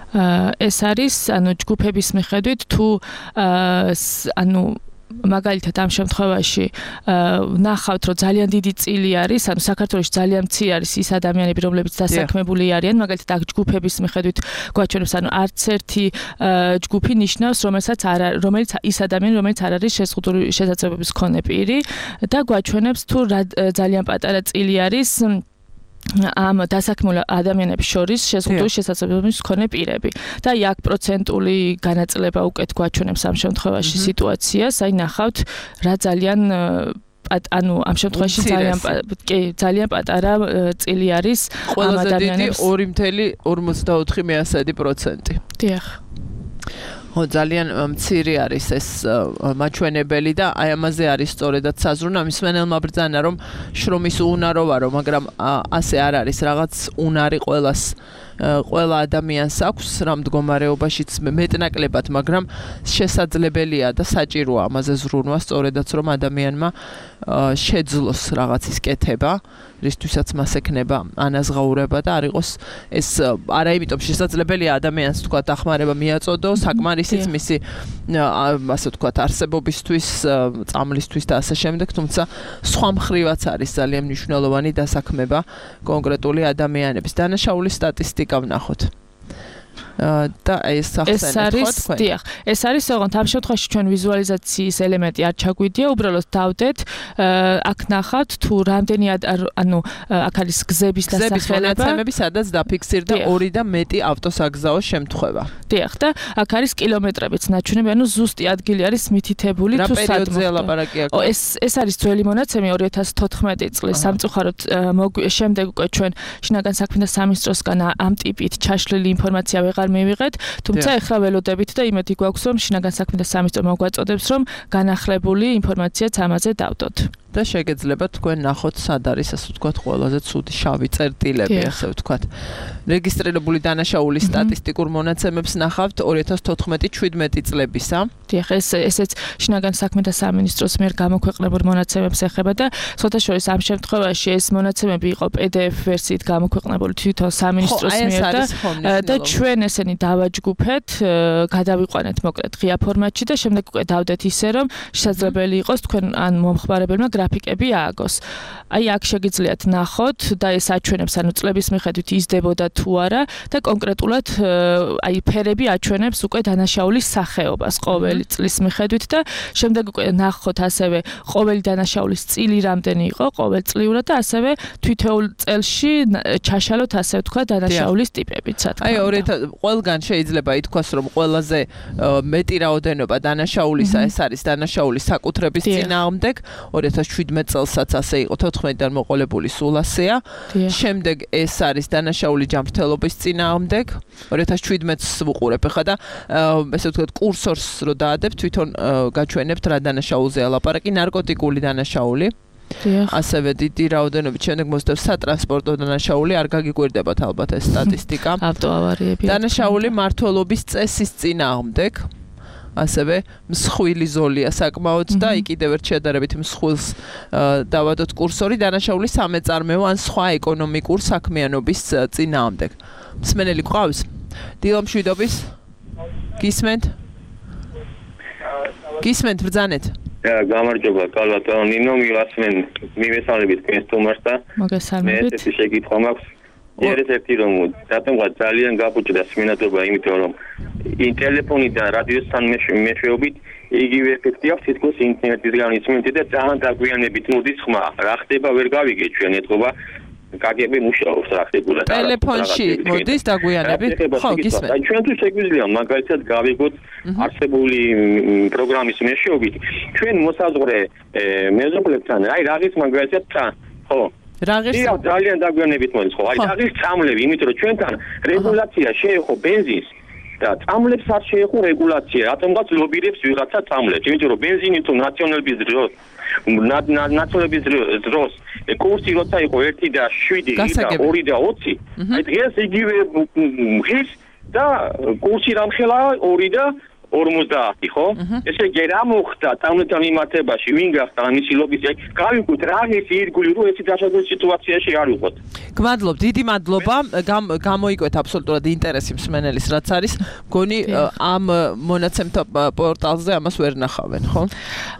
ეს არის ანუ ჯგუფების მიხედვით თუ ანუ მაგალითად ამ შემთხვევაში ნახავთ, რომ ძალიან დიდი წილი არის, ანუ საქართველოში ძალიან მცირე არის ის ადამიანები, რომლებიც დასაქმებული არიან, მაგალითად აქ ჯგუფების მიხედვით გვაჩვენებს, ანუ არც ერთი ჯგუფი ნიშნავს, რომელსაც არ რომელიც ის ადამიანი, რომელიც არ არის შეზღუდული შესაძლებლობის მქონე პირი და გვაჩვენებს თუ ძალიან პატარა წილი არის ამ დასაქმებულ ადამიანებს შორის შეზღუდული შესაძლებლობის მქონე პირები. და აქ პროცენტული განაწილება უკეთ გვაჩვენებს ამ შემთხვევაში სიტუაციას, აი ნახავთ რა ძალიან ანუ ამ შემთხვევაში ძალიან კი ძალიან პატარა წილი არის ამ ადამიანებს. ორი ათეული ორმოცდაოთხი პროცენტი. დიახ. ხო, ძალიან მცირე არის ეს მაჩვენებელი და აი ამაზე არის სწორედაც საზრუნა მსმენელმა ბრძანა, რომ შრომის უნარო ვარო, მაგრამ ასე არ არის, რაღაც უნარი ყველას ყველა ადამიანს აქვს რამ მდგომარეობაშიც მეტნაკლებად, მაგრამ შესაძლებელია და საჭიროა ამაზე ზრუნვა, სწორედაც რომ ადამიანმა შეძლოს რაღაცის კეთება, რისთვისაც მას ექნება ანაზღაურება და არ იყოს ეს არა იმიტომ შესაძლებელია ადამიანს თქვა დახმარება მიაწოდო, საკმარისიც მისი ასე ვთქვათ არსებობისთვის, წამლისთვის და ასე შემდეგ, თუმცა სხვა მხრივაც არის ძალიან მნიშვნელოვანი დასაქმება კონკრეტული ადამიანების. დანაშაულის სტატისტიკა ვნახოთ. და ეს ახსენეთ ხო თქვენ? დიახ, ეს არის ოღონდ ამ შემთხვევაში ჩვენ ვიზუალიზაციის ელემენტი არ ჩაგვიდია, უბრალოდ დავდეთ, აქ ნახავთ თუ რამდენი ანუ აქ არის გზების დასახელება, მონაცემები, სადაც დაფიქსირდა ორი და მეტი ავტოსაგზაო შემთხვევა. დიახ, და აქ არის კილომეტრებიც ნაჩვენები, ანუ ზუსტი ადგილი არის მითითებული თუ სად. რა პერიოდზე ლაპარაკია? ო ეს ეს არის ძველი მონაცემი ორი ათას თოთხმეტი წლის სამწუხაროდ შემდეგ უკვე ჩვენ შინაგან საქმეთა სამინისტროსგან ამ ტიპით ჩაშლილი ინფორმაცია ვეღარ მივიღეთ, თუმცა ეხლა ველოდებით და იმედი გვაქვს, რომ შინაგან საქმეთა სამინისტრო მოგვაწოდებს, რომ განახლებული ინფორმაციაც ამაზე დავდოთ. და შეგეძლება თქვენ ნახოთ, სად არის ასე ვთქვათ ყველაზე ცუდი შავი წერტილები, ასე ვთქვათ. რეგისტრირებული დანაშაულის სტატისტიკურ მონაცემებს ნახავთ ორი ათას თოთხმეტი შვიდმეტი წლებისა. დიახ, ეს ესეც შინაგან საქმეთა სამინისტროს მიერ გამოქვეყნებულ მონაცემებს ეხება და სხვადასხვა ამ შემთხვევაში ეს მონაცემები იყო პი დი ეფ ვერსიით გამოქვეყნებული თვითონ სამინისტროს მიერ და და ჩვენ ესენი დავაჯგუფეთ, გადავიყვანეთ მოკლედ ღია ფორმატში და შემდეგ უკვე დავდეთ ისე, რომ შესაძლებელი იყოს თქვენ ან მომხმარებელმა გრაფიკები ააგოს. აი აქ შეგიძლიათ ნახოთ და ეს აჩვენებს, ანუ წლების მიხედვით იზრდებოდა თუ არა და კონკრეტულად აი ფერები აჩვენებს უკვე დანაშაულის სახეობას ყოველი წლის მიხედვით და შემდეგ უკვე ნახოთ ასევე ყოველი დანაშაულის წილი რამდენი იყო ყოველწლიურად და ასევე თითოეულ წელში ჩაშალოთ ასე ვთქვა დანაშაულის ტიპებიც. აი ორი ყველგან შეიძლება ითქვას, რომ ყველაზე მეტი რაოდენობა დანაშაულისა ეს არის დანაშაულის საკუთრების წინააღმდეგ. ორი ათას შვიდმეტი წელსაც ასე იყო, თოთხმეტიდან მოყოლებული სულ ასეა. შემდეგ ეს არის დანაშაული ჯანმრთელობის წინააღმდეგ. ორი ათას შვიდმეტს ვუყურებ ხა და ესე ვთქვათ კურსორს რო დაადებ, თვითონ გაჩვენებთ რა დანაშაულზეა ლაპარაკი, ნარკოტიკული დანაშაული. ასევე დიდი რაოდენობით შემდეგ მოსდევს სატრანსპორტო დანაშაული, არ გაგიკვირდებათ ალბათ ეს სტატისტიკა. ავტოავარიები. დანაშაული მმართველობის წესის წინააღმდეგ. ასევე მსხვილი ზოლია საკმაოდ და იქ კიდევ ერთ შედარებით მსხვილს დავადოთ კურსორი დანაშაული სამეწარმეო ან სხვა ეკონომიკურ საქმიანობის წინააღმდეგ. მსმენელი გვყავს? დილო მშვიდობის? გისმენთ? გისმენთ ბრძანეთ? გამარჯობა, კალბატონო ნინო, მივასმენ, მივესალმებით თქვენს სტუმარს და მოგესალმებით. მე ეს შეკითხვა მაქვს. ერთ-ერთი რომ რატომღაც ძალიან გაგუჭდა სმინადობა, იმიტომ რომ ტელეფონიდან რადიოსთან მეშვეობით იგივე ეფექტი აქვს თითქოს ინტერნეტისგან იწმინდი და ძალიან დაგვიანებით მოდის ხმა. რა ხდება ვერ გავიგე ჩვენ ეთქობა კაგები მუშაობს რა ხდებოდა. ტელეფონში მოდის დაგვიანებით? ხო, გისმენთ. აი ჩვენ თუ შეგვიძლია მაგალითად გავიგოთ არსებული პროგრამის მეშვეობით ჩვენ მოსაზღვრე მეზობლებთან აი რაღაც მაგალითად ხო რაღის ძალიან დაგვიანებით მოდის ხო? აი რაღის წამლები, იმიტომ რომ ჩვენთან რეგულაცია შეეხო ბენზინს და წამლებს არ შეეხო რეგულაცია, რატომღაც ლობირებს ვიღაცა წამლებს, იმიტომ რომ ბენზინი თუ ნაციონალების დროს ნაციონალების დროს კურსი როცა იყო ერთი და შვიდი და ორი და ოცი, აი დღეს იგივე ღირს და კურსი რამხელა ორი და ორმოცდაათი, ხო? ესე იგი რა მოხდა წამლებთან მიმართებაში, ვინ გახდა მისი ლობის? გავიგოთ რა ის ირგული რო ეცი დაშადების სიტუაციაში არ ვიყოთ. გმადლობ, დიდი მადლობა. გამოიკვეთ აბსოლუტურად ინტერესი მსმენელის რაც არის. მგონი ამ მონაცემთა პორტალზე ამას ვერ ნახავენ, ხო?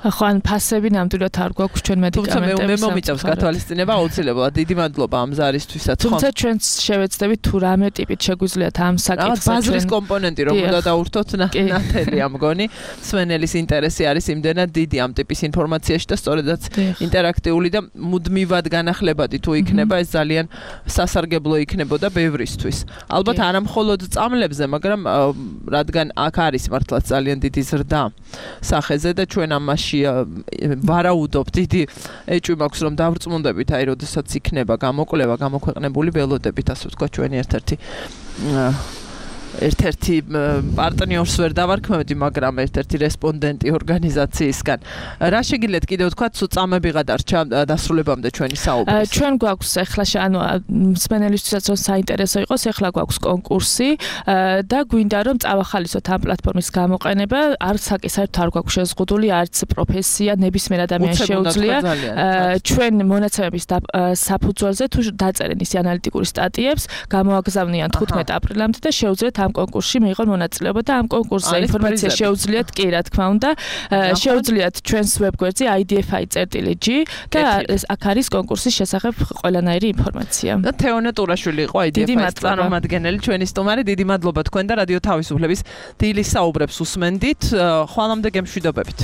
ხო, ან ფასები ნამდვილად არ გვაქვს ჩვენ მედიკამენტებს. მე მომიწევს გათვალისწინება აუცილებლად. დიდი მადლობა ამ ზარისთვისაც, ხო? თუმცა ჩვენც შევეცდებით თუ რამე ტიპით შეგვიძლიათ ამ საკითხს ბაზრის კომპონენტი რომ უნდა დავურთოთ ნათელია მგონი. მსმენელის ინტერესი არის იმდენად დიდი ამ ტიპის ინფორმაციაში და სწორედაც ინტერაქტიული და მუდმივად განახლებადი თუ იქნება ეს ძალიან სასარგებლო იქნებოდა ბევრისთვის. ალბათ არა მხოლოდ წამლებზე, მაგრამ რადგან აქ არის მართლაც ძალიან დიდი ზრდა სახეზე და ჩვენ ამაში ვარაუდობთ, დიდი ეჭვი მაქვს რომ დავრწმუნდებით, აი როდესაც იქნება გამოკვლევა, გამოქვეყნებული ველოდებით, ასე ვთქვათ, ჩვენი ერთ-ერთი ერთ-ერთი პარტნიორს ვერ დავარქმევდი, მაგრამ ერთ-ერთი რესპონდენტი ორგანიზაციისგან. რა შეგიძლიათ კიდევ ვთქვათ, სულ წამები გადარჩა დასრულებამდე ჩვენი საუბრის? ჩვენ გვაქვს ახლა ანუ მსმენელისთვისაც რომ საინტერესო იყოს, ახლა გვაქვს კონკურსი და გვინდა რომ წავახალისოთ ამ პლატფორმის გამოყენება. არც საკი საერთოდ არ გვაქვს შეზღუდული, არც პროფესია, ნებისმიერ ადამიანს შეუძლია. ჩვენ მონაცემების საფუძველზე თუ დაწერენ ისი ანალიტიკური სტატიებს, გამოაგზავნიან თხუთმეტ აპრილამდე და შეუძლიათ ამ კონკურსში მიიღონ მონაწილეობა და ამ კონკურსზე ინფორმაცია შეუძლიათ კი რა თქმა უნდა შეუძლიათ ჩვენს ვებგვერდზე i d f i dot g და აქ არის კონკურსის შესახებ ყველანაირი ინფორმაცია. და თეონე ტურაშვილი იყო i d f i-ის წარმომადგენელი, ჩვენი სტუმარი. დიდი მადლობა თქვენ და რადიო თავისუფლების დილის საუბრებს უსმენდით. ხვალამდე გემშვიდობებით.